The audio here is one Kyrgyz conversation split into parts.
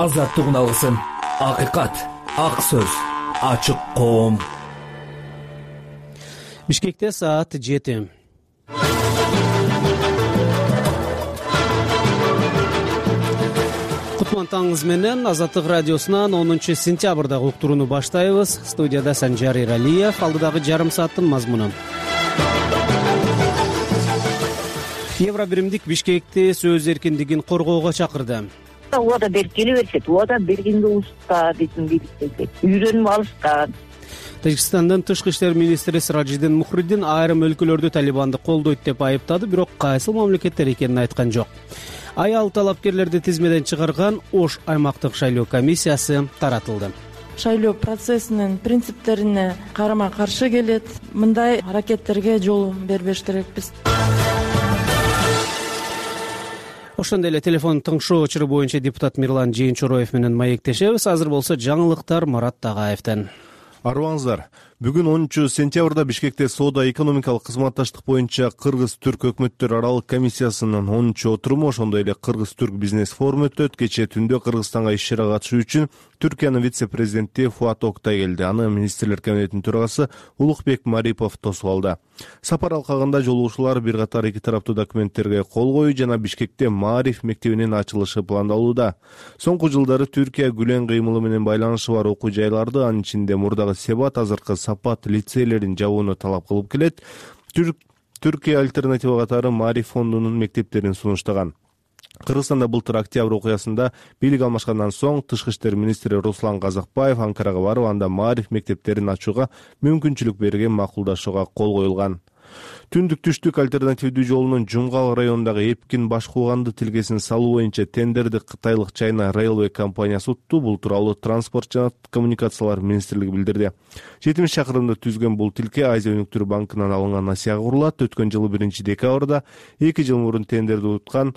азаттыгын алсын. Акыйкат, ак сөз, ачык коом. Бишкекте саат 7. Кутман таңыңыз менен Азаттык радиосунан 10 сентябрдагы уктурууну баштайбыз. Студияда Санжар Иралиев, алдыдагы жарым сааттын мазмуну. Евробиримдик Бишкекти сөз эркиндигин коргоого чакырды. Убада берип келе беришет. Убада бергенге уста дейтин бийликтерди. Үйрөнүп алышкан. Тажикстандын тышкы иштер министри Сиражиддин Мухриддин айрым өлкөлөрдү Талибанды колдойт деп айыптады, бирок кайсыл мамлекеттер экенин айткан жок. Аял талапкерлерди тизмеден чыгарган Ош аймактык шайлоо комиссиясы таратылды. Шайлоо процессинин принциптерине карама каршы келет. Мындай аракеттерге жол бербеш керекпиз. Ошондой эле телефон тыңшоо чыры боюнча депутат Мирлан Жээнчороев менен маектешебиз. Азыр болсо жаңылыктар Марат Тагаевден. Арыбаңыздар. Бүгүн 10 сентябрда Бишкекте соода-экономикалык кызматташтык боюнча Кыргыз-Түрк өкмөттөр аралык комиссиясынын 10 отуруму, ошондой эле Кыргыз-Түрк бизнес форуму өтөт. Кечээ түндө Кыргызстанга иш-чарага катышуу үчүн Түркиянын вице-президенти Фуат Октай келди. Аны министрлер кабинетинин төрагасы Улукбек Марипов тосуп алды. Сапар алкагында жолугушуулар бир катар эки тараптуу документтерге кол коюу жана Бишкекте Маариф мектебинин ачылышы пландалууда. Соңку жылдары Түркия күлөн кыймылы менен байланышы бар окуу жайларды, анын ичинде мурдагы Себат, азыркы Сапат лицейлерин жабууну талап кылып келет. Түркия альтернатива катары Маариф фондунун мектептерин сунуштаган. Кыргызстанда былтыр октябрь окуясында бийлик алмашкандан соң тышкы иштер министри Руслан Казакбаев Анкарага барып, анда Маариф мектептерин ачууга мүмкүнчүлүк берген макулдашууга кол коюлган. Түндүк-түштүк альтернативдүү жолунун Жумгал районундагы Эпкин Башкууганды тилкесин салуу боюнча тендерди кытайлык China Railway компаниясы утту. Бул тууралуу Транспорт жана коммуникациялар министрлиги билдирди. 70 чакырымды түзгөн бул тилке Азия өнүктүрүү банкынан алынган насыяга курулат. Өткөн жылы 1 декабрда 2 жыл мурун тендерди уткан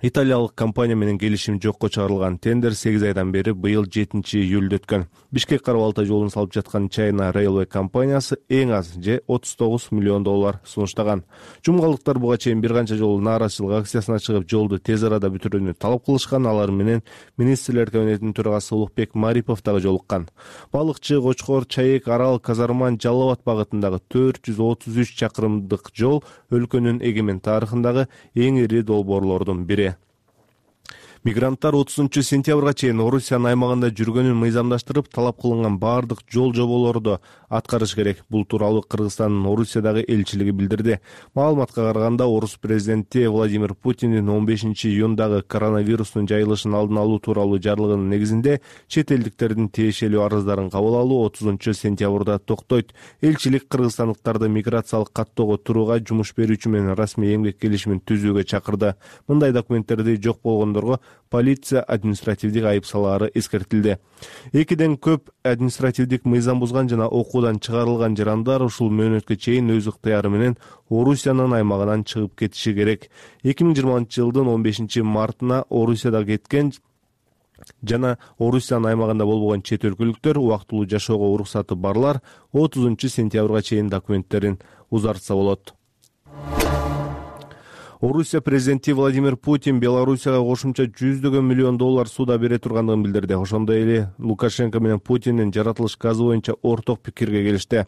италиялык компания менен келишим жокко чыгарылган. Тендер 8 айдан бери быйыл 7-июлда өткөн. Бишкек Кара-Балтай жолун салып жаткан China Railway компаниясы эң аз же $39 миллион сунуштаган. Жумгалыктар буга чейин бир канча жолу нааразычылык акциясына чыгып, жолду тез арада бүтүрүүнү талап кылышкан. Алар менен министрлер кабинетинин төрагасы Улукбек Марипов дагы жолуккан. Балыкчы, Кочкор, Чаек, Арал, Казарман, Жалал абад багытындагы 433 чакырымдык жол өлкөнүн эгемен тарыхындагы эң ири долбоорлордун бири. Мигранттар 30 сентябрга чейин Орусиянын аймагында жүргөнүн мыйзамдаштырып, талап кылынган баардык жол жоболорду аткарыш керек. Бул тууралуу Кыргызстандын Орусиядагы элчилиги билдирди. Маалыматка караганда, Орус президенти Владимир Путиндин 15 июндагы коронавирустун жайылышын алдын алуу тууралуу жарлыгынын негизинде чет элдиктердин тиешелүү арыздарын кабыл алуу 30 сентябрда токтойт. Элчилик кыргызстандыктарды миграциялык каттоого турууга жумуш берүүчү менен расмий эмгек келишимин түзүүгө чакырды. Мындай документтерди жок болгондорго полиция административдик айып салаары эскертилди. Экиден көп административдик мыйзам бузган жана окуудан чыгарылган жарандар ушул мөөнөткө чейин өз ыктыяры менен Орусиянын аймагынан чыгып кетиши керек. 2020 жылдын 15 мартына Орусияда кеткен жана Орусиянын аймагында болбогон чет өлкөлүктөр, убактылуу жашоого уруксаты барлар 30 сентябрга чейин документтерин узартса болот. Орусия президенти Владимир Путин Белоруссияга кошумча $100 миллион суда бере тургандыгын билдирди. Ошондой эле Лукашенко менен Путиндин жаратылыш газы боюнча орток пикирге келишти.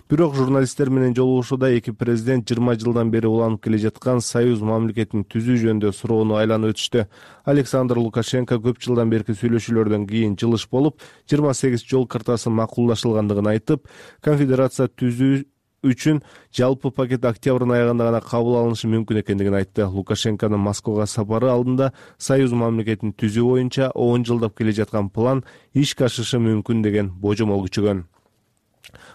Бирок журналисттер менен жолугушууда эки президент 20 жылдан бери уланып келе жаткан союз мамлекетин түзүү жөнүндө суроону айланып өтүштү. Александр Лукашенко көп жылдан берки сүйлөшүүлөрдөн кийин жылыш болуп, 28 жол картасы макулдашылгандыгын айтып, конфедерация түзүү үчүн жалпы пакет октябрдын аягында гана кабыл алынышы мүмкүн экендигин айтты. Лукашенконун Москвага сапары алдында союз мамлекетин түзүү боюнча 10 жылдап келе жаткан план ишке ашышы мүмкүн деген божомол күчөгөн.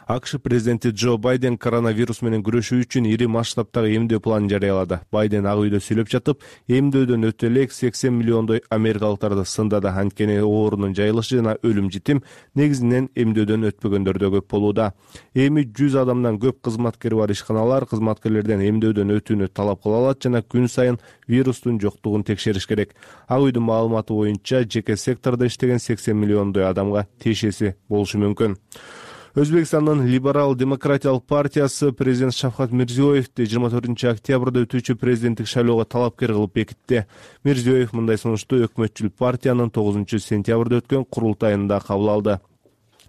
АКШ президенти Джо Байден коронавирус менен күрөшүү үчүн ири масштабтагы эмдөө планын жарыялады. Байден Ак үйдө сүйлөп жатып, эмдөөдөн өтө элек 80 миллиондой америкалыктарды сындады. Анткени оорунун жайылышы жана өлүм житим негизинен эмдөөдөн өтпөгөндөрдө көп болууда. Эми 100 адамдан көп кызматкери бар ишканалар кызматкерлерден эмдөөдөн өтүүнү талап кыла алат жана күн сайын вирустун жоктугун текшериш керек. Ак үйдүн маалыматы боюнча жеке сектордо иштеген 80 миллиондой адамга тиешеси болушу мүмкүн. Өзбекстандын Либерал демократиялык партиясы президент Шавкат Мирзиёевди 24 октябрда өтүүчү президенттик шайлоого талапкер кылып бекитти. Мирзиёев мындай сунушту өкмөтчүл партиянын 9 сентябрда өткөн курултайында кабыл алды.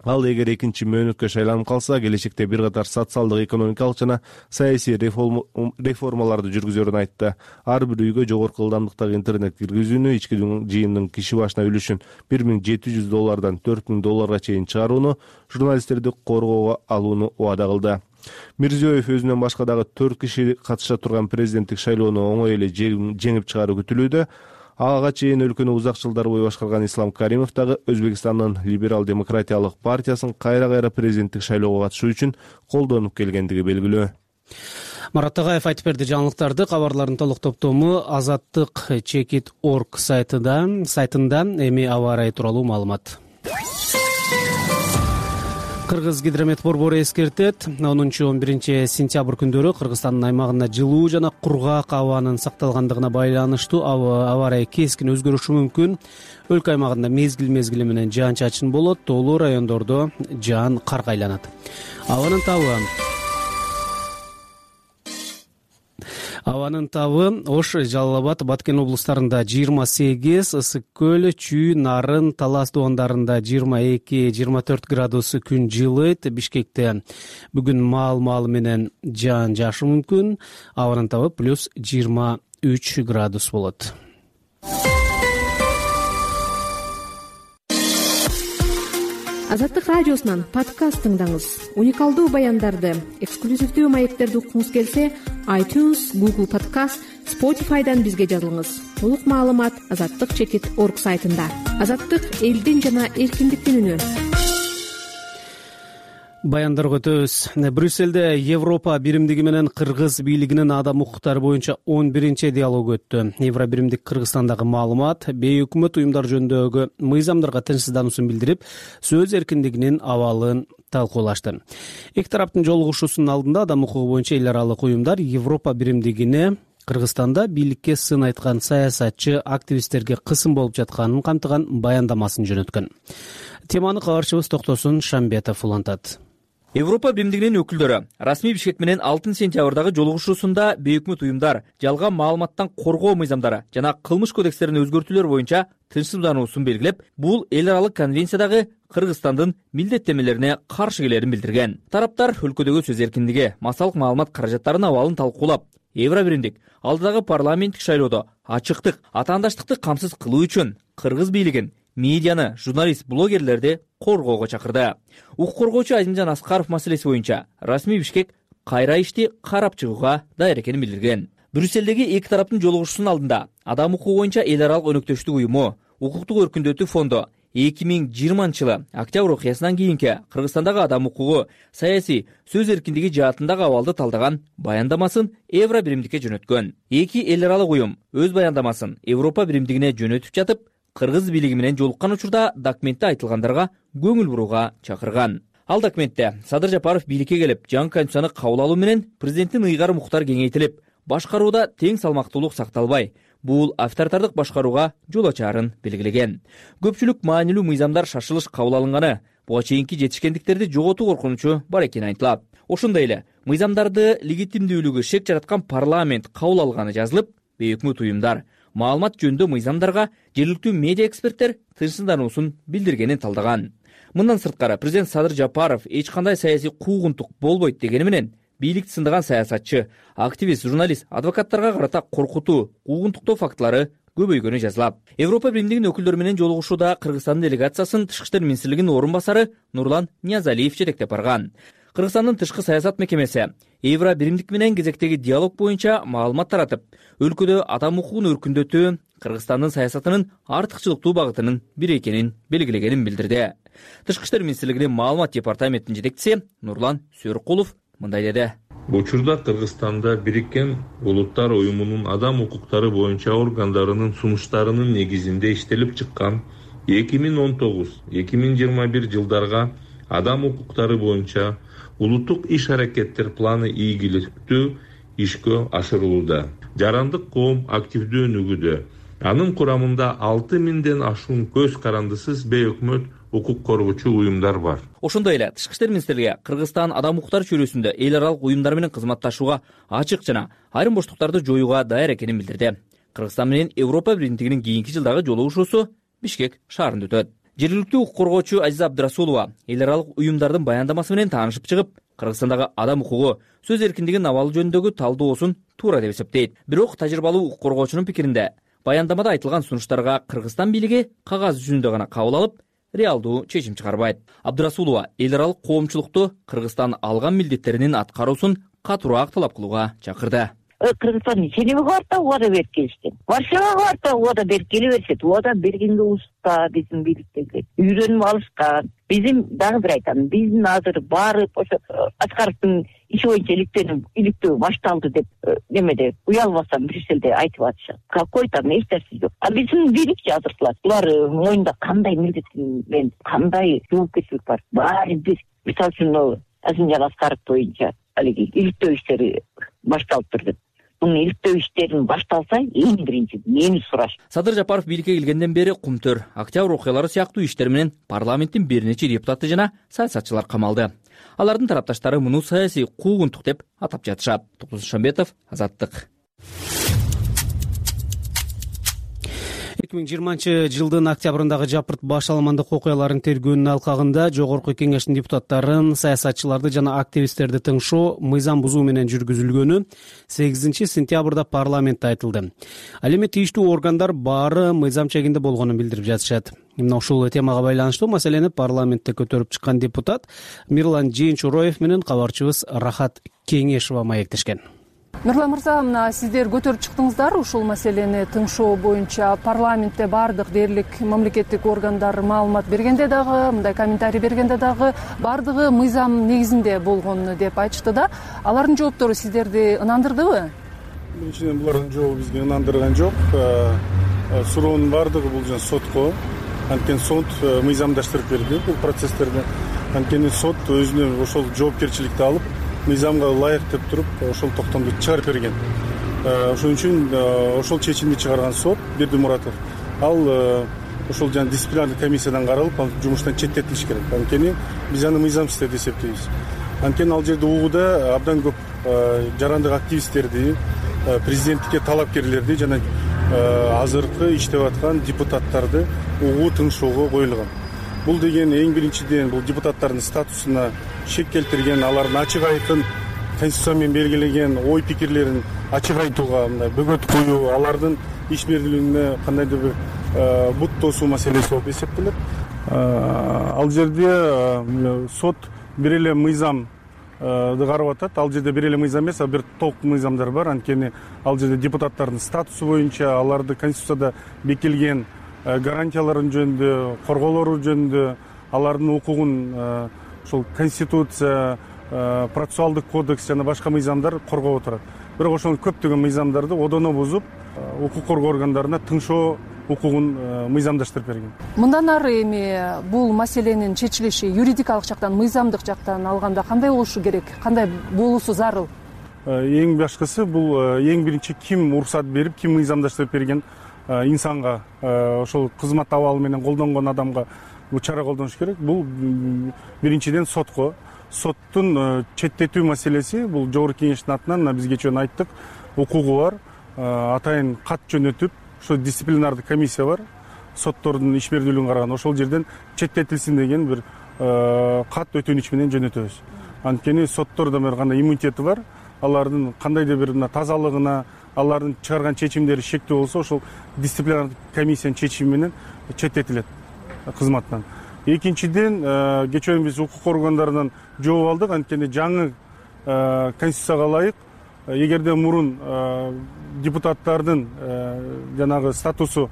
Ал эгер экинчи мөөнөткө шайланып калса, келечекте бир катар социалдык, экономикалык жана саясий реформаларды жүргүзөрүн айтты. Ар бир үйгө жогорку ылдамдыктагы интернет киргизүүнү, ички жыйындын киши башына үлүшүн $1700 $4000 чейин чыгарууну, журналисттерди коргоого алууну убада кылды. Мирзиёев өзүнөн башка дагы 4 киши катыша турган президенттик шайлоону оңой эле жеңип чыгаруу күтүлүүдө. Ага чейин өлкөнү узак жылдар бою башкарган Ислам Каримов дагы Өзбекстандын Либерал демократиялык партиясын кайра президенттик шайлоого катышуу үчүн колдонуп келгендиги белгилүү. Марат Тагаев айтып берди. Жаңылыктарды, кабарлардын толук топтому azattik.org сайтында эми аба ырайы тууралуу маалымат. Кыргыз гидромет борбору эскертет. 10-11 сентябрь күндөрү Кыргызстандын аймагында жылуу жана кургак абанын сакталгандыгына байланыштуу аба ырайы кескин өзгөрүшү мүмкүн. Өлкө аймагында мезгил менен жаан-чачын болот, тоолуу райондордо жаан карга айланат. Абанын табы Ош, Жалал Абад, Баткен облустарында 28, Ысык көл, Чүй, Нарын, Талас дубандарында 22-24 градус күн жылыйт. Бишкекте бүгүн маал менен жаан жаашы мүмкүн. Абанын табы плюс 23 градус болот. Азаттык радиосунан подкаст тыңдаңыз. Уникалдуу баяндарды, эксклюзивдүү маектерди уккуңуз келсе, iTunes, Google Podcast, Spotify'дан бизге жазылыңыз. Толук маалымат azattik.org сайтында. Азаттык элдин жана эркиндиктин үнү. Баяндарга өтөбүз. Брюссельде Европа биримдиги менен Кыргыз бийлигинин адам укуктары боюнча 11-чи диалог өттү. Евро биримдик Кыргызстандагы маалымат, бейөкмөт уюмдар жөнүндөгү мыйзамдарга тынчсыздануусун билдирип, сөз эркиндигинин абалын талкуулашты. Эки тараптын жолугушуусунун алдында адам укугу боюнча эл аралык уюмдар Европа биримдигине Кыргызстанда бийликке сын айткан саясатчы активисттерге кысым болуп жатканын камтыган баяндамасын жөнөткөн. Теманы кабарчыбыз Токтосун Шамбетов улантат. Европа биримдигинин өкүлдөрү расмий Бишкек менен 6 сентябрдагы жолугушуусунда бейөкмөт уюмдар жалган маалыматтан коргоо мыйзамдары жана кылмыш кодекстерин өзгөртүүлөр боюнча тынчсыздануусун белгилеп, бул эл аралык конвенциядагы Кыргызстандын милдеттенмелерине каршы келерин билдирген. Тараптар өлкөдөгү сөз эркиндиги, массалык маалымат каражаттарынын абалын талкуулап, Евро биримдик алдыдагы парламенттик шайлоодо ачыктык, атаандаштыкты камсыз кылуу үчүн Кыргыз бийлигин, медианы, журналист, блогерлерди коргоого чакырды. Укук коргоочу Азимжан Аскаров маселеси боюнча расмий Бишкек кайра ишти карап чыгууга даяр экенин билдирген. Брюссельдеги эки тараптын жолугушуусунун алдында адам укугу боюнча эл аралык өнөктөштүк уюму, укуктук өркүндөтүү фонду 2020-жылы октябрь окуясынан кийинки Кыргызстандагы адам укугу, саясий, сөз эркиндиги жаатындагы абалды талдаган баяндамасын Евро биримдикке жөнөткөн. Эки эл аралык уюм өз баяндамасын Европа биримдигине жөнөтүп жатып, Кыргыз бийлиги менен жолуккан учурда документте айтылгандарға көңүл бурууга чакырган. Ал документте Садыр Жапаров бийликке келип, жаңы конституцияны кабыл алуу менен президенттин ыйгарым укуктары кеңейтилип, башкарууда тең салмактуулук сакталбай, бул авторитардык башкарууга жол ачаарын белгилеген. Көпчүлүк маанилүү мыйзамдар шашылыш кабыл алынганы, буга чейинки жетишкендиктерди жоготуу коркунучу бар экени айтылат. Ошондой эле мыйзамдарды легитимдүүлүгү шек жараткан парламент кабыл алганы жазылып, бейөкмөт уюмдар маалымат жөнүндө мыйзамдарга жергиликтүү медиа эксперттер тынчсыздануусун билдиргенин талдаган. Мындан сырткары президент Садыр Жапаров эч кандай саясий куугунтук болбойт дегени менен бийликти сындаган саясатчы, активист, журналист, адвокаттарга карата коркутуу, куугунтуктоо фактылары көбөйгөнү жазылат. Европа биримдигинин өкүлдөрү менен жолугушууда Кыргызстандын делегациясын Тышкы иштер министрлигинин орун басары Нурлан Ниязалиев жетектеп барган. Кыргызстандын тышкы саясат мекемеси Евро биримдик менен кезектеги диалог боюнча маалымат таратып, өлкөдө адам укугун өркүндөтүү Кыргызстандын саясатынын артыкчылыктуу багытынын бири экенин белгилегенин билдирди. Тышкы иштер министрлигинин маалымат департаментинин жетекчиси Нурлан Сөркулов мындай деди. Учурда Кыргызстанда Бириккен Улуттар уюмунун адам укуктары боюнча органдарынын сунуштарынын негизинде иштелип чыккан 2019-2021 жылдарга адам укуктары боюнча улуттук иш-аракеттер планы ийгиликтүү ишке ашырылууда. Жарандык коом активдүү өнүгүүдө. Анын курамында 6000ден ашуун көз карандысыз бейөкмөт укук коргоочу уюмдар бар. Ошондой эле Тышкы иштер министрлиги Кыргызстан адам укуктары чөйрөсүндө эл аралык уюмдар менен кызматташууга ачык жана айрым боштуктарды жоюуга даяр экенин билдирди. Кыргызстан менен Европа биримдигинин кийинки жылдагы жолугушуусу Бишкек шаарында өтөт. Жергиликтүү укук коргоочу Азиза Абдрасулова эл аралык уюмдардын баяндамасы менен таанышып чыгып, Кыргызстандагы адам укугу, сөз эркиндигинин абалы жөнүндөгү талдоосун туура деп эсептейт. Бирок тажрыйбалуу укук коргоочунун пикиринде баяндамада айтылган сунуштарга Кыргызстан бийлиги кагаз жүзүндө гана кабыл алып, реалдуу чечим чыгарбайт. Абдрасулова эл аралык коомчулукту Кыргызстан алган милдеттеринин аткаруусун катуураак талап кылууга чакырды. Кыргызстан Женевага барып да убада берип келишти. Варшавага барып да убада берип келе беришет. Убада бергенге уста биздин бийликтеги үйрөнүп алышкан. Биздин дагы бир айтам, биздин азыр баары ошо Аскаровдун иши боюнча иликтөө башталды деп немеде уялбастан Брюссельде айтып атышат. Какой там эч нерсе жок. А биздин бийликчи азыркылар. Булар моюнда кандай милдет менен кандай жоопкерчилик бар. Баары бир. Мисалы үчүн Азимжан Аскаров боюнча алиги иликтөө иштери башталыптыр деп. Мунун иликтөө иштерин башталса, эң биринчи мени сураш. Садыр Жапаров бийликке келгенден бери Кумтөр, Октябрь окуялары сыяктуу иштер менен парламенттин бир нече депутаты жана саясатчылар камалды. Алардын тарапташтары муну саясий куугунтук деп атап жатышат. Токтос Шамбетов, Азаттык. 2020-жылдын октябрындагы Жапырт баш аламандык окуяларын тергөөнүн алкагында Жогорку Кеңештин депутаттарын, саясатчыларды жана активисттерди тыңшоо мыйзам бузуу менен жүргүзүлгөнү 8 сентябрда парламентте айтылды. Ал эми тийиштүү органдар баары мыйзам чегинде болгонун билдирип жатышат. Мына ушул темага байланыштуу маселени парламентте көтөрүп чыккан депутат Мирлан Жээнчуроев менен кабарчыбыз Рахат Кеңешова маектешкен. Мирлан мырза, мына сиздер көтөрүп чыктыңыздар ушул маселени тыңшоо боюнча. Парламентте баардык дээрлик мамлекеттик органдар маалымат бергенде дагы, мындай комментарий бергенде дагы баардыгы мыйзам негизинде болгон деп айтышты да. Алардын жооптору сиздерди ынандырдыбы? Биринчиден булардын жообу бизге ынандырган жок. Суроонун баардыгы бул жана сотко. Анткени сот мыйзамдаштырып берди бул процесстерди. Анткени сот өзүнө ошол жоопкерчиликти алып, мыйзамга ылайык деп туруп ошол токтомду чыгарып берген. Ошон үчүн ошол чечимди чыгарган сот Бердимуратов ал ошол жана дисциплинардык комиссиядан каралып, ал жумуштан четтетилиш керек. Анткени биз аны мыйзамсыз деп эсептейбиз. Анткени ал жерде угууда абдан көп жарандык активисттерди, президенттикке талапкерлерди жана азыркы иштеп аткан депутаттарды угуу тыңшоого коюлган. Бул деген эң биринчиден бул депутаттардын статусуна шек келтирген, алардын ачык айкын конституция менен белгилеген ой пикирлерин ачык айтууга мындай бөгөт коюу, алардын ишмердүүлүгүнө кандайдыр бир бут тосуу маселеси болуп эсептелет. Ал жерде сот бир эле мыйзамды карап атат. Ал жерде бир эле мыйзам эмес, бир топ мыйзамдар бар. Анткени ал жерде депутаттардын статусу боюнча, аларды конституцияда бекитилген гарантияларын жөнүндө, корголору жөнүндө, алардын укугун ошол конституция, процессуалдык кодекс жана башка мыйзамдар коргоп отурат. Бирок ошол көптөгөн мыйзамдарды одоно бузуп, укук коргоо органдарына тыңшоо укугун мыйзамдаштырып берген. Мындан ары эми бул маселенин чечилиши юридикалык жактан, мыйзамдык жактан алганда кандай болушу керек, кандай болуусу зарыл? Эң башкысы бул эң биринчи ким уруксат берип, ким мыйзамдаштырып берген инсанга, ошол кызмат абалы менен колдонгон адамга бул чара колдонуш керек. Бул биринчиден сотко. Соттун четтетүү маселеси бул Жогорку Кеңештин атынан биз кечээ айттык, укугу бар. Атайын кат жөнөтүп, ошо дисциплинардык комиссия бар. Соттордун ишмердүүлүгүн караган, ошол жерден четтетилсин деген бир кат өтүнүч менен жөнөтөбүз. Анткени соттордо бир кандай иммунитети бар. Алардын кандайдыр бир тазалыгына, алардын чыгарган чечимдери шектүү болсо, ошол дисциплинардык комиссиянын чечими менен четтетилет кызматтан. Экинчиден, кечээ биз укук органдарынан жооп алдык. Анткени жаңы конституцияга ылайык, эгерде мурун депутаттардын жанагы статусу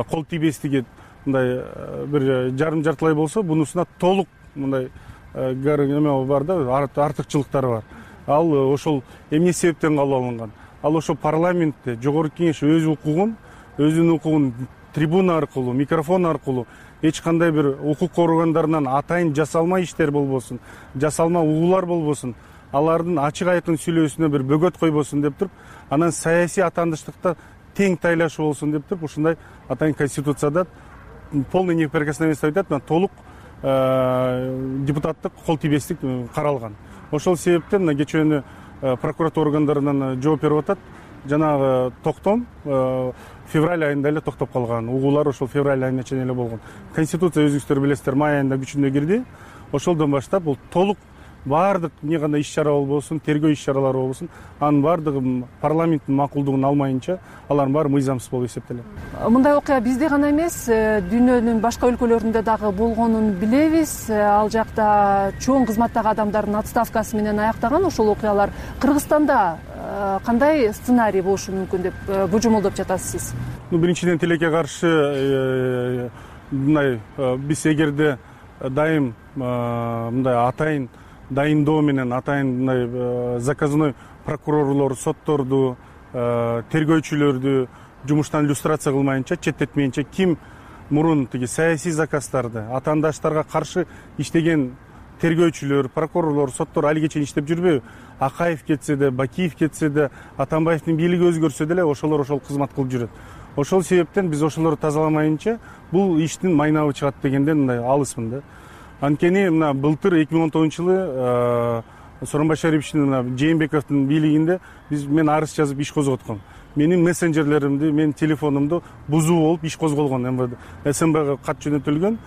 кол тийбестиги мындай бир жарым-жартылай болсо, бунусуна толук мындай эме бар да, артыкчылыктары бар. Ал ошол эмне себептен кабыл алынган? Ал ошол парламентте Жогорку Кеңеш өзүнүн укугун трибуна аркылуу, микрофон аркылуу эч кандай бир укук органдарынан атайын жасалма иштер болбосун, жасалма угуулар болбосун, алардын ачык айкын сүйлөөсүнө бир бөгөт койбосун деп туруп, анан саясий атандыштыкта тең тайлашуу болсун деп туруп, ушундай атайын конституцияда полный неприкосновенность айтат, толук депутаттык кол тийбестик каралган. Ошол себептен мына кечээ прокуратура органдарынан жооп берип атат. Жанагы токтом февраль айында эле токтоп калган. Угуулар ошол февраль айына чейин эле болгон. Конституция өзүңүздөр билесиздер, май айында күчүнө кирди. Ошолдон баштап бул толук баардык эмне кандай иш-чара болбосун, тергөө иш-чаралары болбосун, анын баардыгы парламенттин макулдугун алмайынча алардын баары мыйзамсыз болуп эсептелет. Мындай окуя бизде гана эмес, дүйнөнүн башка өлкөлөрүндө дагы болгонун билебиз. Ал жакта чоң кызматтагы адамдардын отставкасы менен аяктаган ошол окуялар. Кыргызстанда кандай сценарий болушу мүмкүн деп божомолдоп жатасыз? Биринчиден тилекке каршы мындай биз эгерде дайым мындай атайын дайындоо менен атайын мындай заказной прокурорлор, сотторду, тергөөчүлөрдү жумуштан иллюстрация кылмайынча, четтетмейинче, ким мурун тиги саясий заказдарды атаандаштарга каршы иштеген тергөөчүлөр, прокурорлор, соттор али чейин иштеп жүрбөйбү? Акаев кетсе да, Бакиев кетсе да, Атамбаевдин бийлиги өзгөрсө деле ошолор ошол кызмат кылып жүрөт. Ошол себептен биз ошолорду тазаламайынча бул иштин майнабы чыгат дегенден мындай алысмын да. Анткени мына былтыр 2010-жылы Сооронбай Шариповичтин мына Жээнбековдун бийлигинде мен арыз жазып иш козготком. Менин мессенджерлеримди, менин телефонумду бузуу болуп иш козголгон МВД. СМБга кат жөнөтүлгөн,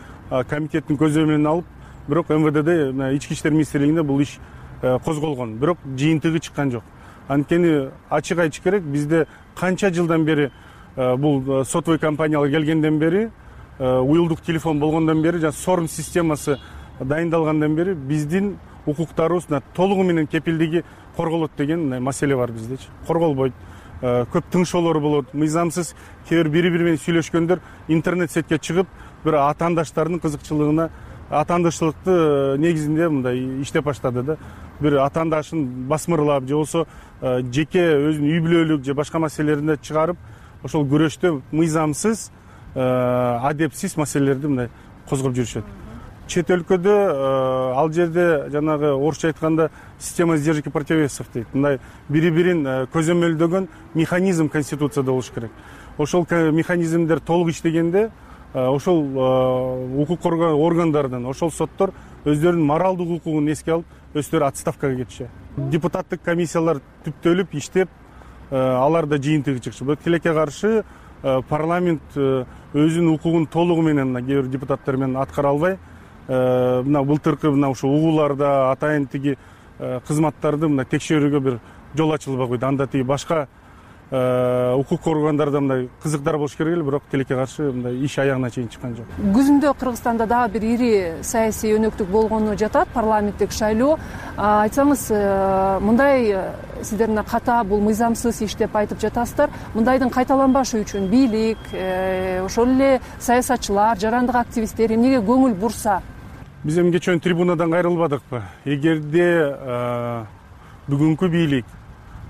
комитеттин көзөмөлүнө менен алып, бирок МВДде ички иштер министрлигинде бул иш козголгон. Бирок жыйынтыгы чыккан жок. Анткени ачык айтыш керек, бизде канча жылдан бери бул сотовый компаниялар келгенден бери, уюлдук телефон болгондон бери, жана СОРМ системасы дайындалгандан бери биздин укуктарыбыз толугу менен кепилдиги корголот деген маселе бар биздечи. Корголбойт. Көп тыңшоолор болот. Мыйзамсыз кээ бир бири менен сүйлөшкөндөр интернет сетке чыгып, бир атаандаштардын кызыкчылыгына атаандаштыкты негизинде мындай иштеп баштады да. Бир атаандашын басмырлап же болсо жеке өзүнүн үй бүлөлүк же башка маселелеринде чыгарып, ошол күрөштө мыйзамсыз, адепсиз маселелерди мындай козгоп жүрүшөт. Чет өлкөдө ал жерде жанагы орусча айтканда система сдержек и противовесов дейт. Мындай бири-бирин көзөмөлдөгөн механизм конституцияда болуш керек. Ошол механизмдер толук иштегенде ошол укук органдарынан, ошол соттор өздөрүнүн моралдык укугун эске алып, өздөрү отставкага кетишет. Депутаттык комиссиялар түптөлүп иштеп, алар да жыйынтыгы чыкчу. Бирок тилекке каршы парламент өзүнүн укугун толугу менен кээ бир депутаттар менен аткара албай, мына былтыркы мына ушул угууларда атайын тиги кызматтарды мына текшерүүгө бир жол ачылбай койду. Анда тиги башка укук органдарда мындай кызыктар болуш керек эле, бирок тилекке каршы мындай иш аягына чейин чыккан жок. Күзүндө Кыргызстанда дагы бир ири саясий өнөктүк болгону жатат, парламенттик шайлоо. Айтсаңыз, мындай сиздер мына ката бул мыйзамсыз иш деп айтып жатасыздар. Мындайдын кайталанбашы үчүн бийлик, ошол эле саясатчылар, жарандык активисттер эмнеге көңүл бурса? Биз эми кечээ трибунадан кайрылбадыкпы? Эгерде бүгүнкү бийлик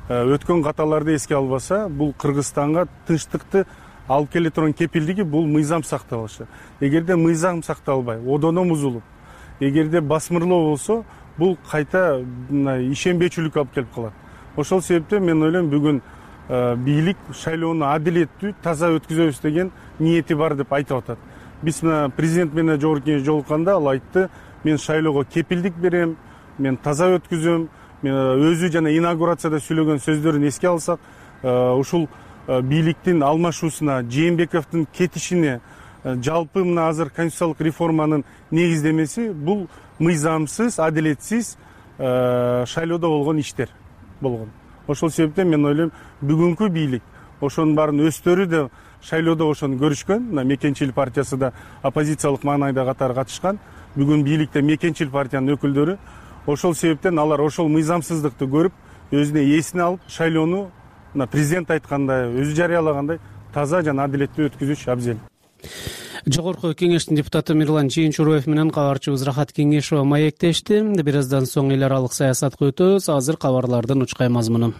өткөн каталарды эске албаса, бул Кыргызстанга тынчтыкты алып келе турган кепилдиги бул мыйзам сакталышы. Эгерде мыйзам сакталбай, одоно бузулуп, эгерде басмырлоо болсо, бул кайта ишенбечүлүккө алып келип калат. Ошол себептен мен ойлойм, бүгүн бийлик шайлоону адилеттүү, таза өткүзөбүз деген ниети бар деп айтып атат. Биз мына президент менен жогорку кеңеш жолукканда ал айтты, мен шайлоого кепилдик берем, мен таза өткүзөм. Өзү жана инаугурацияда сүйлөгөн сөздөрүн эске алсак, ушул бийликтин алмашуусуна, Жээнбековдун кетишине, жалпы мына азыр конституциялык реформанын негиздемеси бул мыйзамсыз, адилетсиз шайлоодо болгон иштер болгон. Ошол себептен мен ойлойм, бүгүнкү бийлик ошонун баарын өздөрү да шайлоодо ошону көрүшкөн. Мына Мекенчил партиясы да оппозициялык маанайда катары катышкан. Бүгүн бийликте Мекенчил партиянын өкүлдөрү. Ошол себептен алар ошол мыйзамсыздыкты көрүп, өзүнө эсине алып, шайлоону президент айткандай, өзү жарыялагандай таза жана адилеттүү өткүзүш абзел. Жогорку кеңештин депутаты Мирлан Жыйынчуроев менен кабарчыбыз Рахат Кеңешова маектешти. Бир аздан соң эл аралык саясатка өтөбүз. Азыр кабарлардын учкай мазмуну.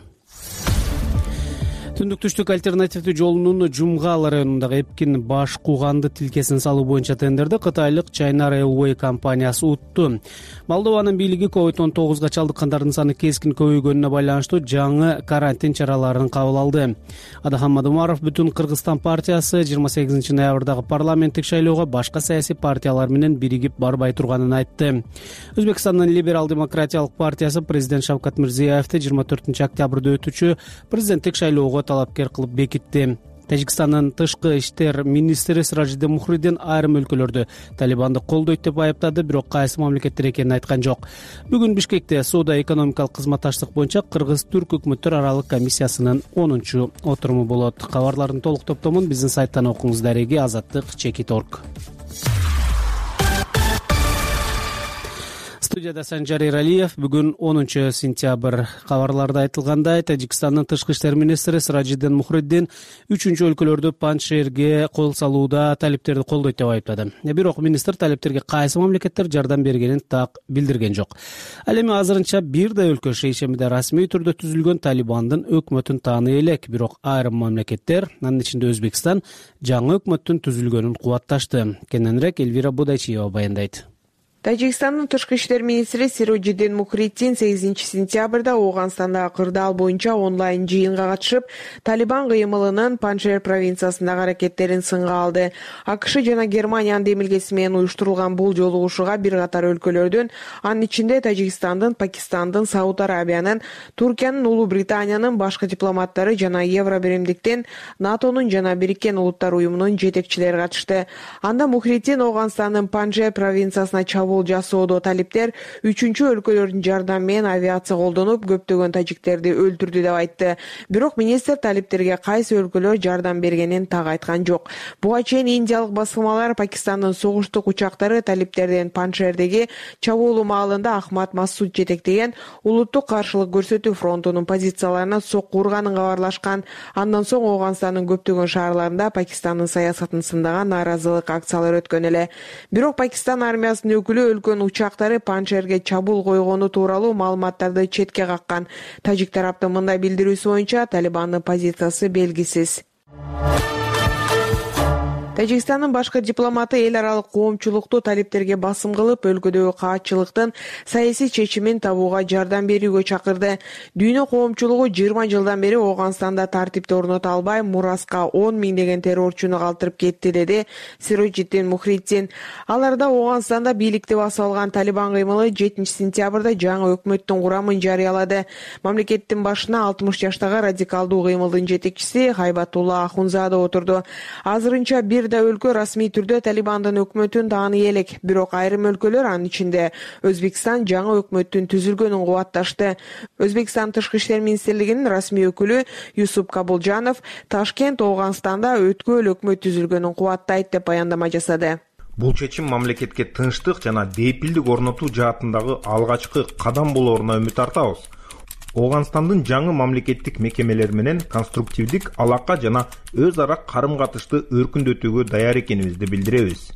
Түндүк түштүк альтернативдүү жолунун Жумгал районундагы Эпкин баш кууганды тилкесин салуу боюнча тендерди кытайлык China Railway компаниясы утту. Молдованын бийлиги COVID-19 чалдыккандардын саны кескин көбөйгөнүнө байланыштуу жаңы карантин чараларын кабыл алды. Адахам Адумаров Бүтүн Кыргызстан партиясы 28 ноябрдагы парламенттик шайлоого башка саясий партиялар менен биригип барбай турганын айтты. Өзбекстандын либерал-демократиялык партиясы президент Шавкат Мирзиёевди 24 октябрда өтүүчү президенттик шайлоого талапкер кылып бекитти. Тажикстандын тышкы иштер министри Сиражиддин Мухриддин айрым өлкөлөрдө Талибанды колдойт деп айыптады, бирок кайсы мамлекеттер экенин айткан жок. Бүгүн Бишкекте соода-экономикалык кызматташтык боюнча Кыргыз-Түрк өкмөттөр аралык комиссиясынын 10-чу отуруму болот. Кабарлардын толук топтомун биздин сайттан окуңуз. Дареги Азаттык-Чекит.орг. Студияда Санжар Эралиев. Бүгүн 10 сентябрь. Кабарларда айтылгандай, Тажикстандын тышкы иштер министри Сиражиддин Мухриддин 3-чү өлкөлөрдө Паншерге кол салууда талиптерди колдойт деп айыптады. Бирок министр талиптерге кайсы мамлекеттер жардам бергенин так билдирген жок. Ал эми азырынча бир да өлкө шейшемиде расмий түрдө түзүлгөн Талибандын өкмөтүн тааный элек, бирок айрым мамлекеттер, анын ичинде Өзбекстан, жаңы өкмөттүн түзүлгөнүн кубатташты. Кененирээк Эльвира Будайчиева баяндайт. Тажикстандын тышкы иштер министри Сиражиддин Мухриддин 8 сентябрда Ооганстандагы кырдаал боюнча онлайн жыйынга катышып, Талибан кыймылынын Паншер провинциясындагы аракеттерин сынга алды. АКШ жана Германиянын демилгеси менен уюштурулган бул жолугушууга бир катар өлкөлөрдүн, анын ичинде Тажикстандын, Пакистандын, Сауд Арабиянын, Туркиянын, Улуу Британиянын башкы дипломаттары жана Евробиримдиктин, НАТОнун жана Бириккен Улуттар уюмунун жетекчилери катышты. Анда Мухриддин Ооганстандын Панжер провинциясына чабуул жасоодо талиптер 3-чү өлкөлөрдүн жардамы менен авиация колдонуп, көптөгөн тажиктерди өлтүрдү деп айтты. Бирок министр талиптерге кайсы өлкөлөр жардам бергенин так айткан жок. Буга чейин индиялык басылмалар Пакистандын согуштук учактары талиптерден Паншердеги чабуулу маалында Ахмад Масуд жетектеген улуттук каршылык көрсөтүү фронтунун позицияларына сокку урганын кабарлашкан. Андан соң Ооганстандын көптөгөн шаарларында Пакистандын саясатын сындаган нааразылык акциялары өткөн эле. Бирок Пакистан армиясынын өкүлү өлкөнүн учактары Паншерге чабуул койгону тууралуу маалыматтарды четке каккан. Тажик тараптын мындай билдирүүсү боюнча Талибандын позициясы белгисиз. Тажикстандын башкы дипломаты эл аралык коомчулукту талиптерге басым кылып, өлкөдөгү каатчылыктын саясий чечимин табууга жардам берүүгө чакырды. Дүйнө коомчулугу 20 жылдан бери Ооганстанда тартипти орното албай, мураска 10 миңдеген террорчуну калтырып кетти, деди Сиражиддин Мухриддин. Аларда Ооганстанда бийликти басып алган Талибан кыймылы 7 сентябрда жаңы өкмөттүн курамын жарыялады. Мамлекеттин башына 60 жаштагы радикалдуу кыймылдын жетекчиси Хайбатулла Ахунзада отурду. Азырынча бир да өлкө расмий түрдө Талибандын өкмөтүн тааный элек, бирок айрым өлкөлөр, анын ичинде Өзбекстан, жаңы өкмөттүн түзүлгөнүн кубатташты. Өзбекстан тышкы иштер министрлигинин расмий өкүлү Юсуп Кабулжанов Ташкент Ооганстанда өткөл өкмөт түзүлгөнүн кубаттайт деп баяндама жасады. Бул чечим мамлекетке тынчтык жана бейпилдик орнотуу жаатындагы алгачкы кадам болооруна үмүт артабыз. Ооганстандын жаңы мамлекеттик мекемелери менен конструктивдик алака жана өз ара карым-катышты өркүндөтүүгө даяр экенибизди билдиребиз,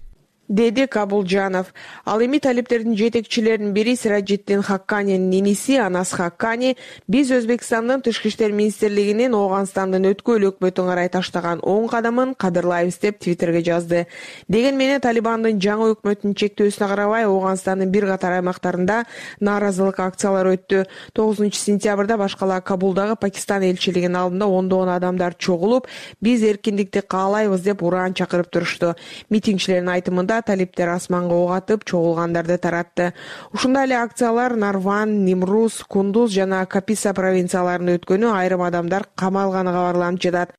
деди Кабулжанов. Ал эми талиптердин жетекчилеринин бири Сиражиддин Хакканинин иниси Анас Хаккани биз Өзбекстандын тышкы иштер министрлигинин Ооганстандын өткөл өкмөтүн карай таштаган оң кадамын кадырлайбыз деп Твиттерге жазды. Деген менен Талибандын жаңы өкмөтүнүн чектөөсүнө карабай Ооганстандын бир катар аймактарында нааразылык акциялары өттү. 9 сентябрда башкала Кабулдагы Пакистан элчилигинин алдында ондогон адамдар чогулуп, биз эркиндикти каалайбыз деп ураан чакырып турушту. Митингчилердин айтымында талиптер асманга ок атып, чогулгандарды таратты. Ушундай эле акциялар Нарван, Нимрус, Кундуз жана Каписа провинцияларында өткөнү, айрым адамдар камалганы кабарланып жатат.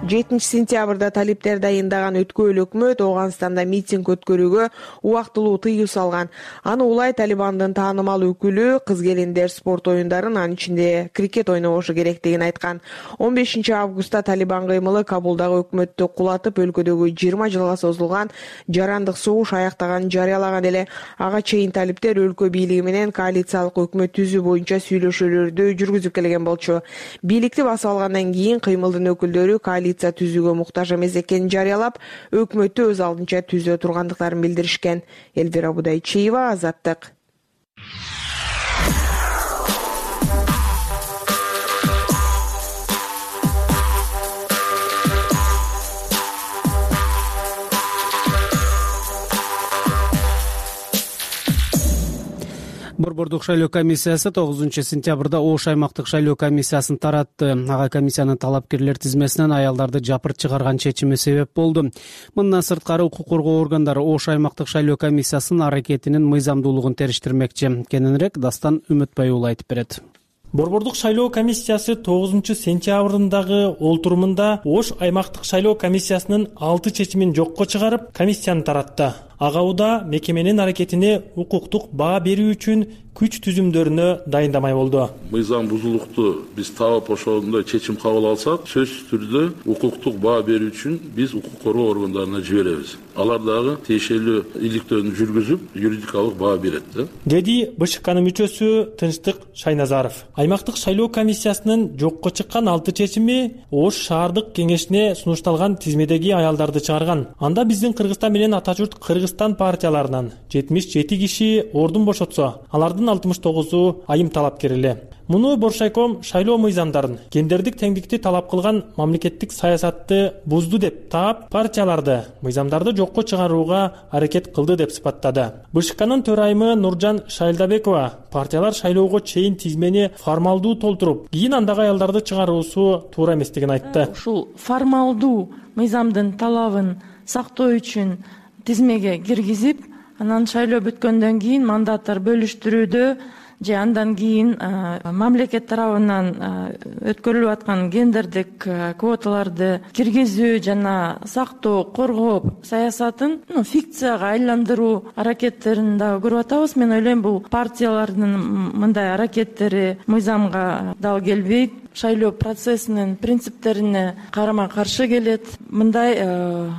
7 сентябрда талиптер дайындаган өткөл өкмөт Ооганстанда митинг өткөрүүгө убактылуу тыюу салган. Аны улай Талибандын таанымал өкүлү кыз-келиндер спорт оюндарын, анын ичинде крикет ойнобошу керектигин айткан. 15 августта Талибан кыймылы Кабулдагы өкмөттү кулатып, өлкөдөгү 20 жылга созулган жарандык согуш аяктаганын жарыялаган эле. Ага чейин талиптер өлкө бийлиги менен коалициялык өкмөт түзүү боюнча сүйлөшүүлөрдү жүргүзүп келген болчу. Бийликти басып алгандан кийин кыймылдын өкүлдөрү түзүүгө муктаж эмес экенин жарыялап, өкмөттү өз алдынча түзө тургандыктарын билдиришкен. Эльвира Будайчиева, Азаттык. Борбордук шайлоо комиссиясы 9-сентябрда Ош аймактык шайлоо комиссиясын таратты. Ага комиссиянын талапкерлер тизмесинен аялдарды жапырт чыгарган чечими себеп болду. Мындан сырткары укук коргоо органдары Ош аймактык шайлоо комиссиясынын аракетинин мыйзамдуулугун териштирмекчи. Кененирээк Дастан Үмүтбай уулу айтып берет. Борбордук шайлоо комиссиясы 9-сентябрындагы олтурумунда Ош аймактык шайлоо комиссиясынын 6 чечимин жокко чыгарып, комиссияны таратты. Ага уда мекеменин аракетине укуктук баа берүү үчүн күч түзүмдөрүнө дайындамай болду. Мыйзам бузулукту биз таап ошондой чечим кабыл алсак, сөзсүз түрдө укуктук баа берүү үчүн биз укук коргоо органдарына жиберебиз. Алар дагы тиешелүү иликтөөнү жүргүзүп, юридикалык баа берет, деди БШКнын мүчөсү Тынчтык Шайназаров. Аймактык шайлоо комиссиясынын жокко чыккан 6 чечими Ош шаардык кеңешине сунушталган тизмедеги аялдарды чыгарган. Анда биздин Кыргызстан менен ата журт Кыргызстан партияларынан 77 киши ордун бошотсо, алардын 69-у айым талапкер эле. Муну Боршайком шайлоо мыйзамдарын, гендердик теңдикти талап кылган мамлекеттик саясатты бузду деп таап, партияларды, мыйзамдарды жокко чыгарууга аракет кылды деп сыпаттады. БШКнын төрайымы Нуржан Шайлдабекова партиялар шайлоого чейин тизмени формалдуу толтуруп, кийин андагы аялдарды чыгаруусу туура эместигин айтты. Ушул формалдуу мыйзамдын талабын сактоо үчүн тизмеге киргизип, анан шайлоо бүткөндөн кийин мандаттар бөлүштүрүүдө же андан кийин мамлекет тарабынан өткөрүлүп аткан гендердик квоталарды киргизүү жана сактоо, коргоо саясатын фикцияга айландыруу аракеттерин дагы көрүп атабыз. Мен ойлойм, бул партиялардын мындай аракеттери мыйзамга дал келбейт, шайлоо процессинин принциптерине карама каршы келет. Мындай